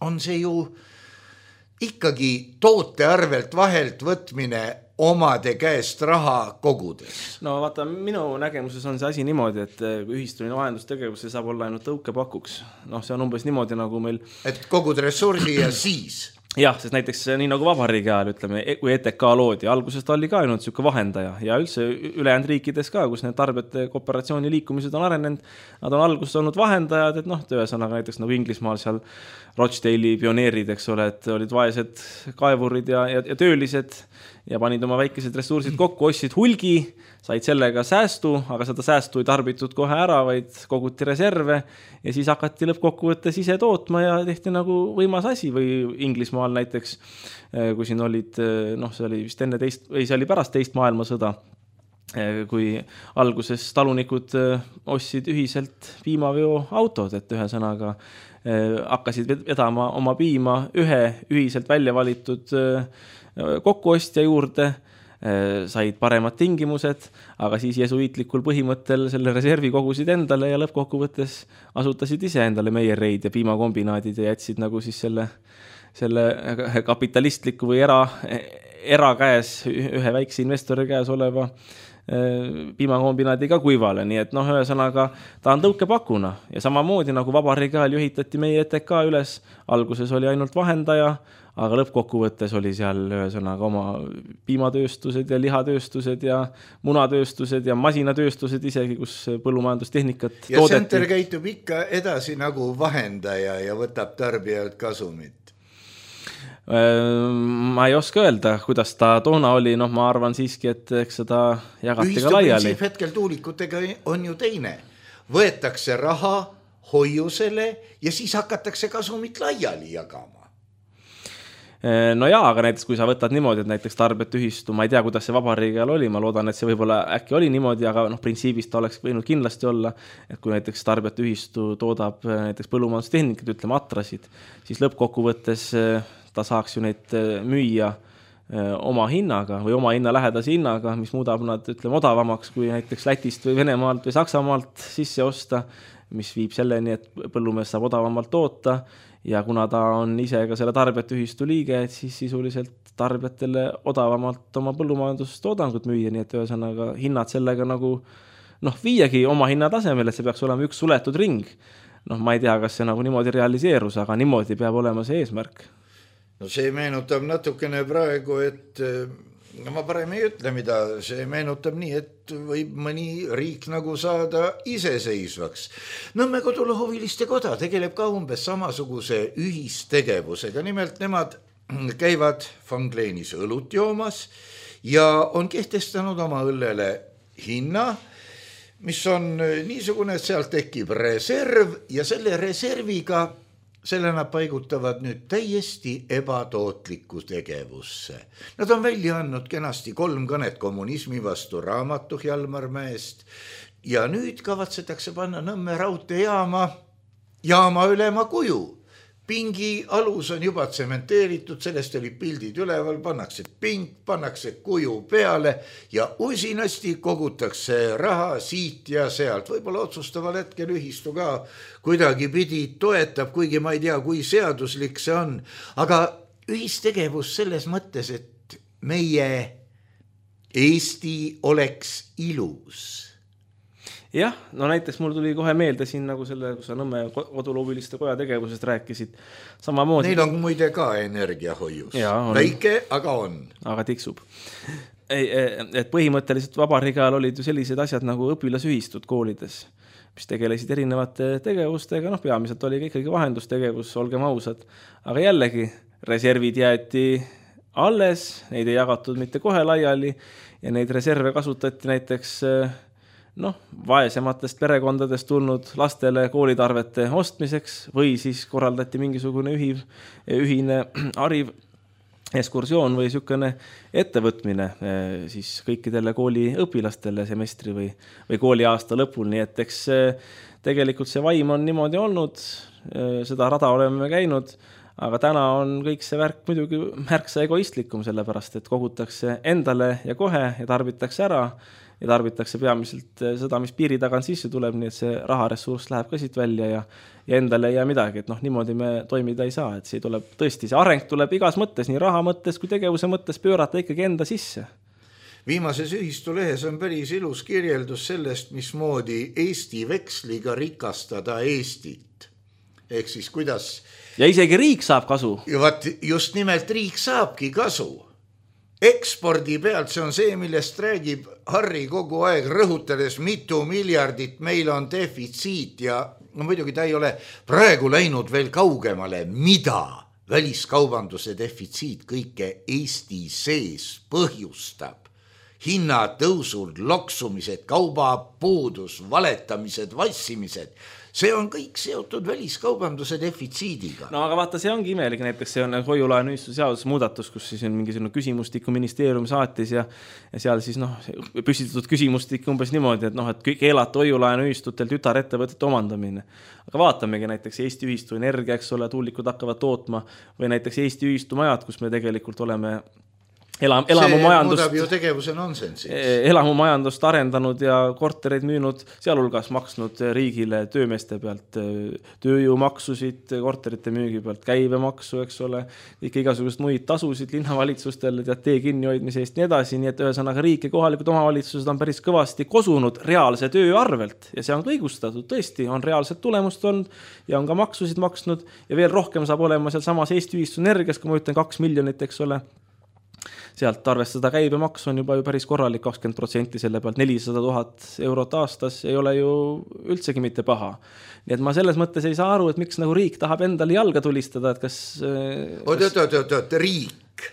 on see ju ikkagi toote arvelt vahelt võtmine omade käest raha kogudes. No vaata, minu nägemuses on see asi niimoodi, et ühistuline vahendustegevus saab olla ainult tõukepakuks. See on umbes niimoodi nagu meil... Et kogud ressursi ja siis... Jah, sest näiteks nii nagu vabariigi ajal, ütleme, kui ETK loodi, algusest oli ka ainult selline vahendaja ja üldse ülejäänud riikides ka, kus need tarbijate kooperatsiooni liikumised on arenenud, nad on alguses olnud vahendajad, et ühesõnaga näiteks nagu Inglismaal seal Rochdale'i pioneerid, eks ole, et olid vaesed kaevurid ja töölised ja panid oma väikesed ressursid kokku, ostsid hulgi, said sellega säästu, aga seda säästu ei tarbitud kohe ära, vaid koguti reserve ja siis hakati lõppkokkuvõttes ise tootma ja tehti nagu võimas asi või Inglismaal näiteks, kui siin olid, see oli vist enne see oli pärast teist maailmasõda, kui alguses talunikud ostsid ühiselt piimaveo autod, et ühesõnaga hakkasid vedama oma piima ühe ühiselt välja valitud kokkuostja juurde, said paremad tingimused, aga siis jesuiitlikul põhimõttel selle reservi kogusid endale ja lõppkokkuvõttes asutasid ise endale meiereid ja piimakombinaadid ja jätsid nagu siis selle kapitalistliku või erakäes, ühe väikse investori käes oleva piimakombinaadiga kuivale, nii et ühesõnaga ta on tõukepakuna ja samamoodi nagu vabariigi ajal juhitati meie ETK üles, alguses oli ainult vahendaja, aga lõppkokkuvõttes oli seal ühesõnaga oma piimatööstused ja lihatööstused ja munatööstused ja masinatööstused isegi, kus põllumajandustehnikat ja toodeti. Ja Center käitub ikka edasi nagu vahendaja ja võtab tarbijalt kasumit. Ma ei oska öelda, kuidas ta toona oli, ma arvan siiski, et eks seda jagati ka laiali. Ühistuprintsiip hetkel tuulikutega on ju teine. Võetakse raha hoiusele ja siis hakatakse kasumit laiali jagama. No jaa, aga näiteks kui sa võtad niimoodi, et näiteks tarbijate ühistu, ma ei tea, kuidas see vabariigi ajal oli, ma loodan, et see võib-olla äkki oli niimoodi, aga printsiibist ta oleks võinud kindlasti olla, et kui näiteks tarbijate ühistu toodab näiteks põllumajandustehnikud, ütleme atrasid, siis lõppkokkuvõttes ta saaks ju neid müüa oma hinnaga või oma hinna lähedase hinnaga, mis muudab nad, ütleme, odavamaks kui näiteks Lätist või Venemaalt või Saksamaalt sisse osta, mis viib selleni, et põllumees saab odavamalt toota ja kuna ta on ise ka selle tarbijate ühistu liige, et siis sisuliselt tarbijatele odavamalt oma põllumajandustoodangut müüa, nii et ühesõnaga hinnad sellega nagu viiagi oma hinnatasemel, et see peaks olema üks suletud ring. Ma ei tea, kas see nagu niimoodi realiseerus, aga niimoodi peab olema see eesmärk. No see meenutab natukene praegu, et ma parem ei ütle, mida see meenutab nii, et võib mõni riik nagu saada iseseisvaks. Nõmme Kodulohuviliste Koda tegeleb ka umbes samasuguse ühistegevusega. Nimelt nemad käivad Fangleenis õlut joomas ja on kehtestanud oma õllele hinna, mis on niisugune, et sealt tekib reserv ja selle reserviga selle nad paigutavad nüüd täiesti ebatootlikku tegevusse. Nad on välja andnud kenasti 3 kõnet kommunismi vastu raamatu Hjalmar Mäest ja nüüd kavatsetakse panna Nõmme raudteejaama ülema kuju. Pingi alus on juba tsementeeritud, sellest oli pildid üleval, pannakse pink, pannakse kuju peale ja usinasti kogutakse raha siit ja sealt. Võib-olla otsustaval hetkel ühistu ka kuidagi pidi toetab, kuigi ma ei tea, kui seaduslik see on. Aga ühistegevus selles mõttes, et meie Eesti oleks ilus. Jah, no näiteks mul tuli kohe meelde siin nagu selle, kui sa Nõmme koduloobiliste koja tegevusest rääkisid. Samamoodi. Neil on muide ka energiahoius. Väike, aga on. Aga tiksub. Et põhimõtteliselt vabariigi ajal olid ju sellised asjad nagu õpilasühistud koolides, mis tegelesid erinevate tegevustega. Peamiselt oli ikkagi vahendustegevus, olgem ausad. Aga jällegi, reservid jäeti alles, neid ei jagatud mitte kohe laiali ja neid reserve kasutati näiteks vaesematest perekondadest tulnud lastele koolitarvete ostmiseks või siis korraldati mingisugune ühine hariv ekskursioon või niisugune ettevõtmine siis kõikidele kooliõpilastele semestri või kooliaasta lõpul, nii et eks tegelikult see vaim on niimoodi olnud, seda rada oleme käinud, aga täna on kõik see värk muidugi märksa egoistlikum, sellepärast et kogutakse endale ja kohe ja tarbitakse ära ja tarbitakse peamiselt seda, mis piiri tagant sisse tuleb, nii et see raharessurss läheb ka siit välja ja endale ei jää midagi, et niimoodi me toimida ei saa, et see tuleb tõesti, see areng tuleb igas mõttes, nii raha mõttes kui tegevuse mõttes pöörata ikkagi enda sisse. Viimases ühistulehes on päris ilus kirjeldus sellest, mismoodi Eesti veksliga rikastada Eestit. Ehk siis kuidas... Ja isegi riik saab kasu. Just nimelt riik saabki kasu. Ekspordi pealt, see on see, millest räägib Harri kogu aeg, rõhutades mitu miljardit meil on defitsiit ja muidugi ta ei ole praegu läinud veel kaugemale, mida väliskaubanduse defitsiit kõike Eesti sees põhjustab. Hinnatõusud, loksumised, kaubapuudus, valetamised, vassimised. See on kõik seotud väliskaubanduse defitsiidiga. No aga vaata, see ongi imelik, näiteks see on hoiulaenuühistu seaduse muudatus, kus siis on mingisugune küsimustiku ministeerium saatis ja seal siis püstitatud küsimustik umbes niimoodi, et keelata hoiulaenuühistutel tütarettevõtete omandamine. Aga vaatamegi näiteks Eesti ühistu energia, eks ole, tuulikud hakkavad tootma või näiteks Eesti ühistu majad, kus me tegelikult oleme elamumajandust arendanud ja kortereid müünud, sealhulgas maksnud riigile töömeeste pealt tööjõumaksusid, korterite müügi pealt käibemaksu, eks ole, kõik igasugust muid tasusid linnavalitsustele, tee kinnihoidmise eest nii edasi, nii et ühesõnaga riik ja kohalikud omavalitsused on päris kõvasti kosunud reaalse töö arvelt ja see on ka õigustatud, tõesti on reaalset tulemust olnud ja on ka maksusid maksnud ja veel rohkem saab olema seal samas Eesti ühistu energias, kui ma ütlen 2 miljonit, eks ole, sealt arvestada käibemaks on juba ju päris korralik 20% selle pealt 400 000 eurot aastas ei ole ju üldsegi mitte paha. Nii et ma selles mõttes ei saa aru, et miks nagu riik tahab endale jalga tulistada, et kas... Riik.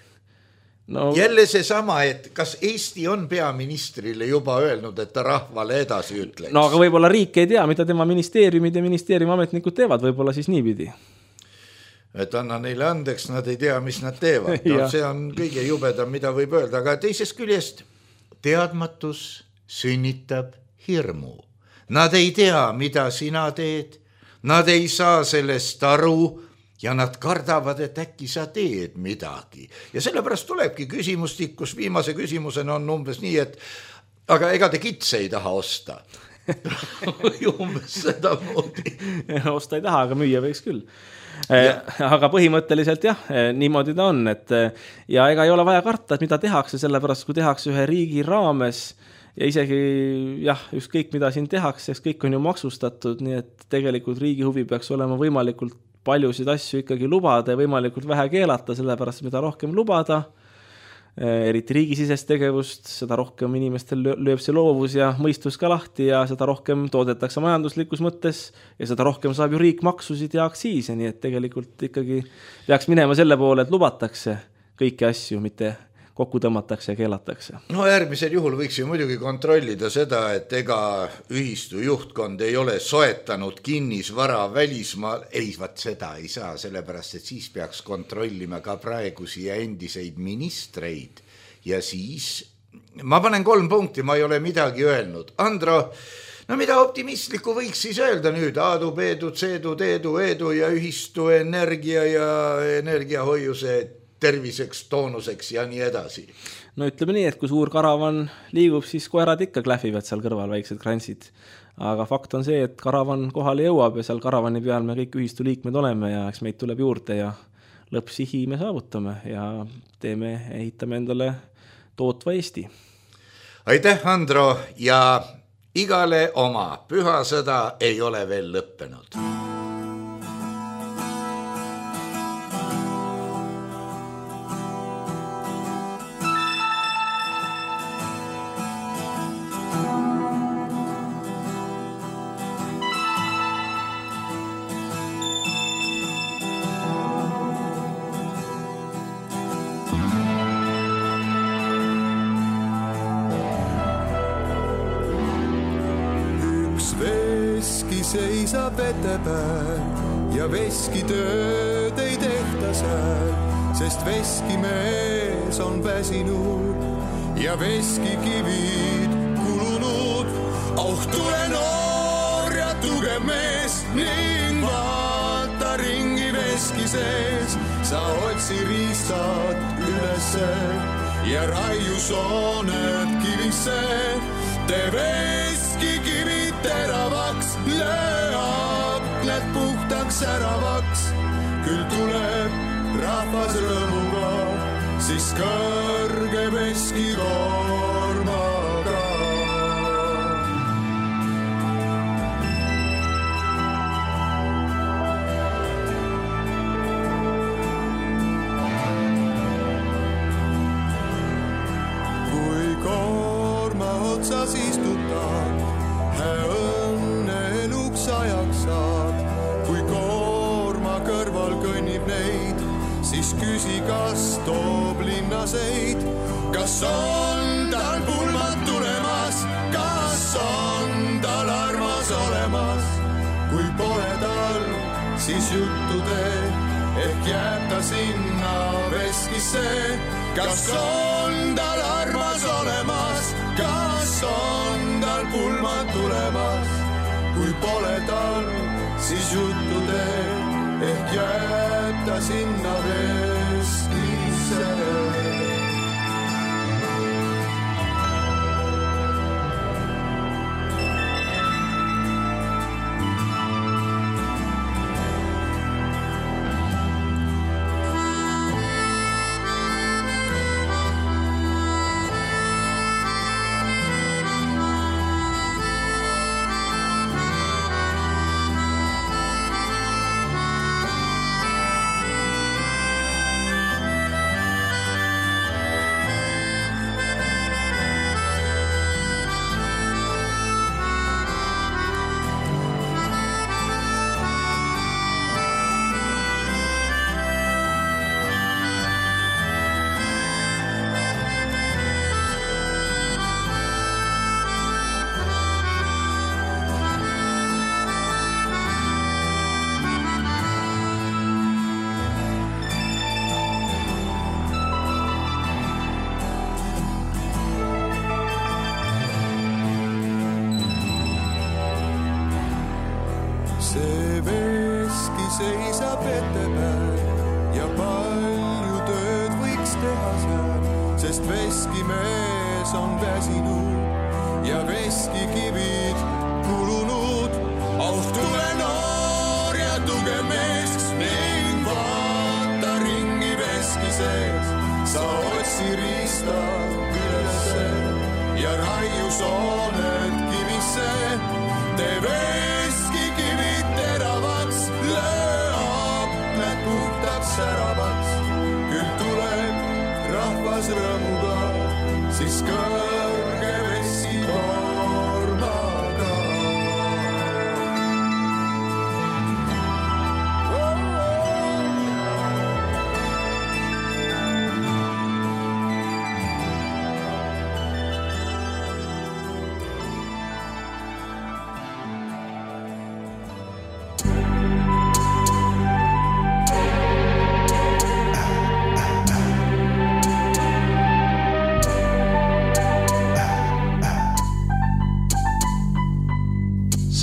Jälle see sama, et kas Eesti on peaministrile juba öelnud, et ta rahvale edasi ütleks? No aga võib-olla riik ei tea, mida tema ministeeriumid ja ministeeriumi ametnikud teevad, võib-olla siis niipidi. Et anna neile andeks, nad ei tea, mis nad teevad. See on kõige jubedam, mida võib öelda, aga teisest küljest teadmatus sünnitab hirmu. Nad ei tea, mida sina teed, nad ei saa sellest aru ja nad kardavad, et äkki sa teed midagi. Ja sellepärast tulebki küsimustik, kus viimase küsimusena on umbes nii, et aga ega te kitse ei taha osta. Umbes seda moodi. Osta ei taha, aga müüa võiks küll. Aga põhimõtteliselt jah, niimoodi ta on, et ja ega ei ole vaja karta, et mida tehakse, sellepärast kui tehakse ühe riigi raames ja isegi jah, ükskõik mida siin tehakse, kõik on ju maksustatud, nii et tegelikult riigi huvi peaks olema võimalikult paljusid asju ikkagi lubada ja võimalikult vähe keelata, sellepärast mida rohkem lubada, eriti riigisisest tegevust, seda rohkem inimestel lööb see loovus ja mõistus ka lahti ja seda rohkem toodetakse majanduslikus mõttes ja seda rohkem saab ju riik maksusid ja aktsiise, nii et tegelikult ikkagi peaks minema selle poole, et lubatakse kõiki asju, mitte kokku tõmmatakse ja keelatakse. No järgmisel juhul võiks ju muidugi kontrollida seda, et ega ühistu juhtkond ei ole soetanud kinnisvara välismaal. Ei, vaat seda ei saa, sellepärast, et siis peaks kontrollima ka praegusi ja endiseid ministreid. Ja siis ma panen 3 punkti, ma ei ole midagi öelnud. Andro, no mida optimistlikku võiks siis öelda nüüd? Aadu, Peedu, Ceedu, Teedu, Eedu ja ühistu energia ja energiahoiuse terviseks, toonuseks ja nii edasi. No ütleme nii, et kui suur karavan liigub, siis koerad ikka klähvivad seal kõrval, väiksed krantsid. Aga fakt on see, et karavan kohale jõuab ja seal karavani peal me kõik ühistu liikmed oleme ja eks meid tuleb juurde ja lõppsihi me saavutame ja ehitame endale tootva Eesti. Aitäh, Andro, ja igale oma. Pühasõda ei ole veel lõppenud. Seisab etepääl ja veskitööd ei tehta sääl, sest veskimees on väsinud ja veskikivid kulunud. Oh, tule noor ja tugev mees ning vaata ringi veski sees. Sa otsi riistad ülesse ja raiu sooned kivisse. Tee veskikivid teravaks, löö aknad puhtaks säravaks. Küll tuleb rahvas rõõmuga, siis kõrge veskikormaga. Kui korma otsas istutad, õnne eluks ajaks saad. Kui koorma kõrval kõnnib neid, siis küsi, kas toob linnaseid. Kas on tal pulmad tulemas, kas on tal armas olemas. Kui pole tal, siis juttu tee, ehk jääb ta sinna veskisse. Kas on tal armas olemas, kas on tal pulmad tulemas. Kui pole tal, siis juttu tee, ehk jääb ta sinna veskisse. See veski seisab etepääl ja palju tööd võiks teha seal, sest veskimees on väsinud ja veskikivid kulunud. Oh, tule noor ja tugev mees ning vaata ringi veski sees. Sa otsi riista ülesse ja raiu sooned kivisse. Tee veskikivid teravaks, löö aknad puhtaks säravaks. Küll tuleb rahvas rõõmuga, siis kõrge veskikormaga.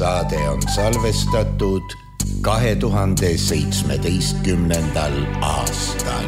saade on salvestatud 2017. aastal.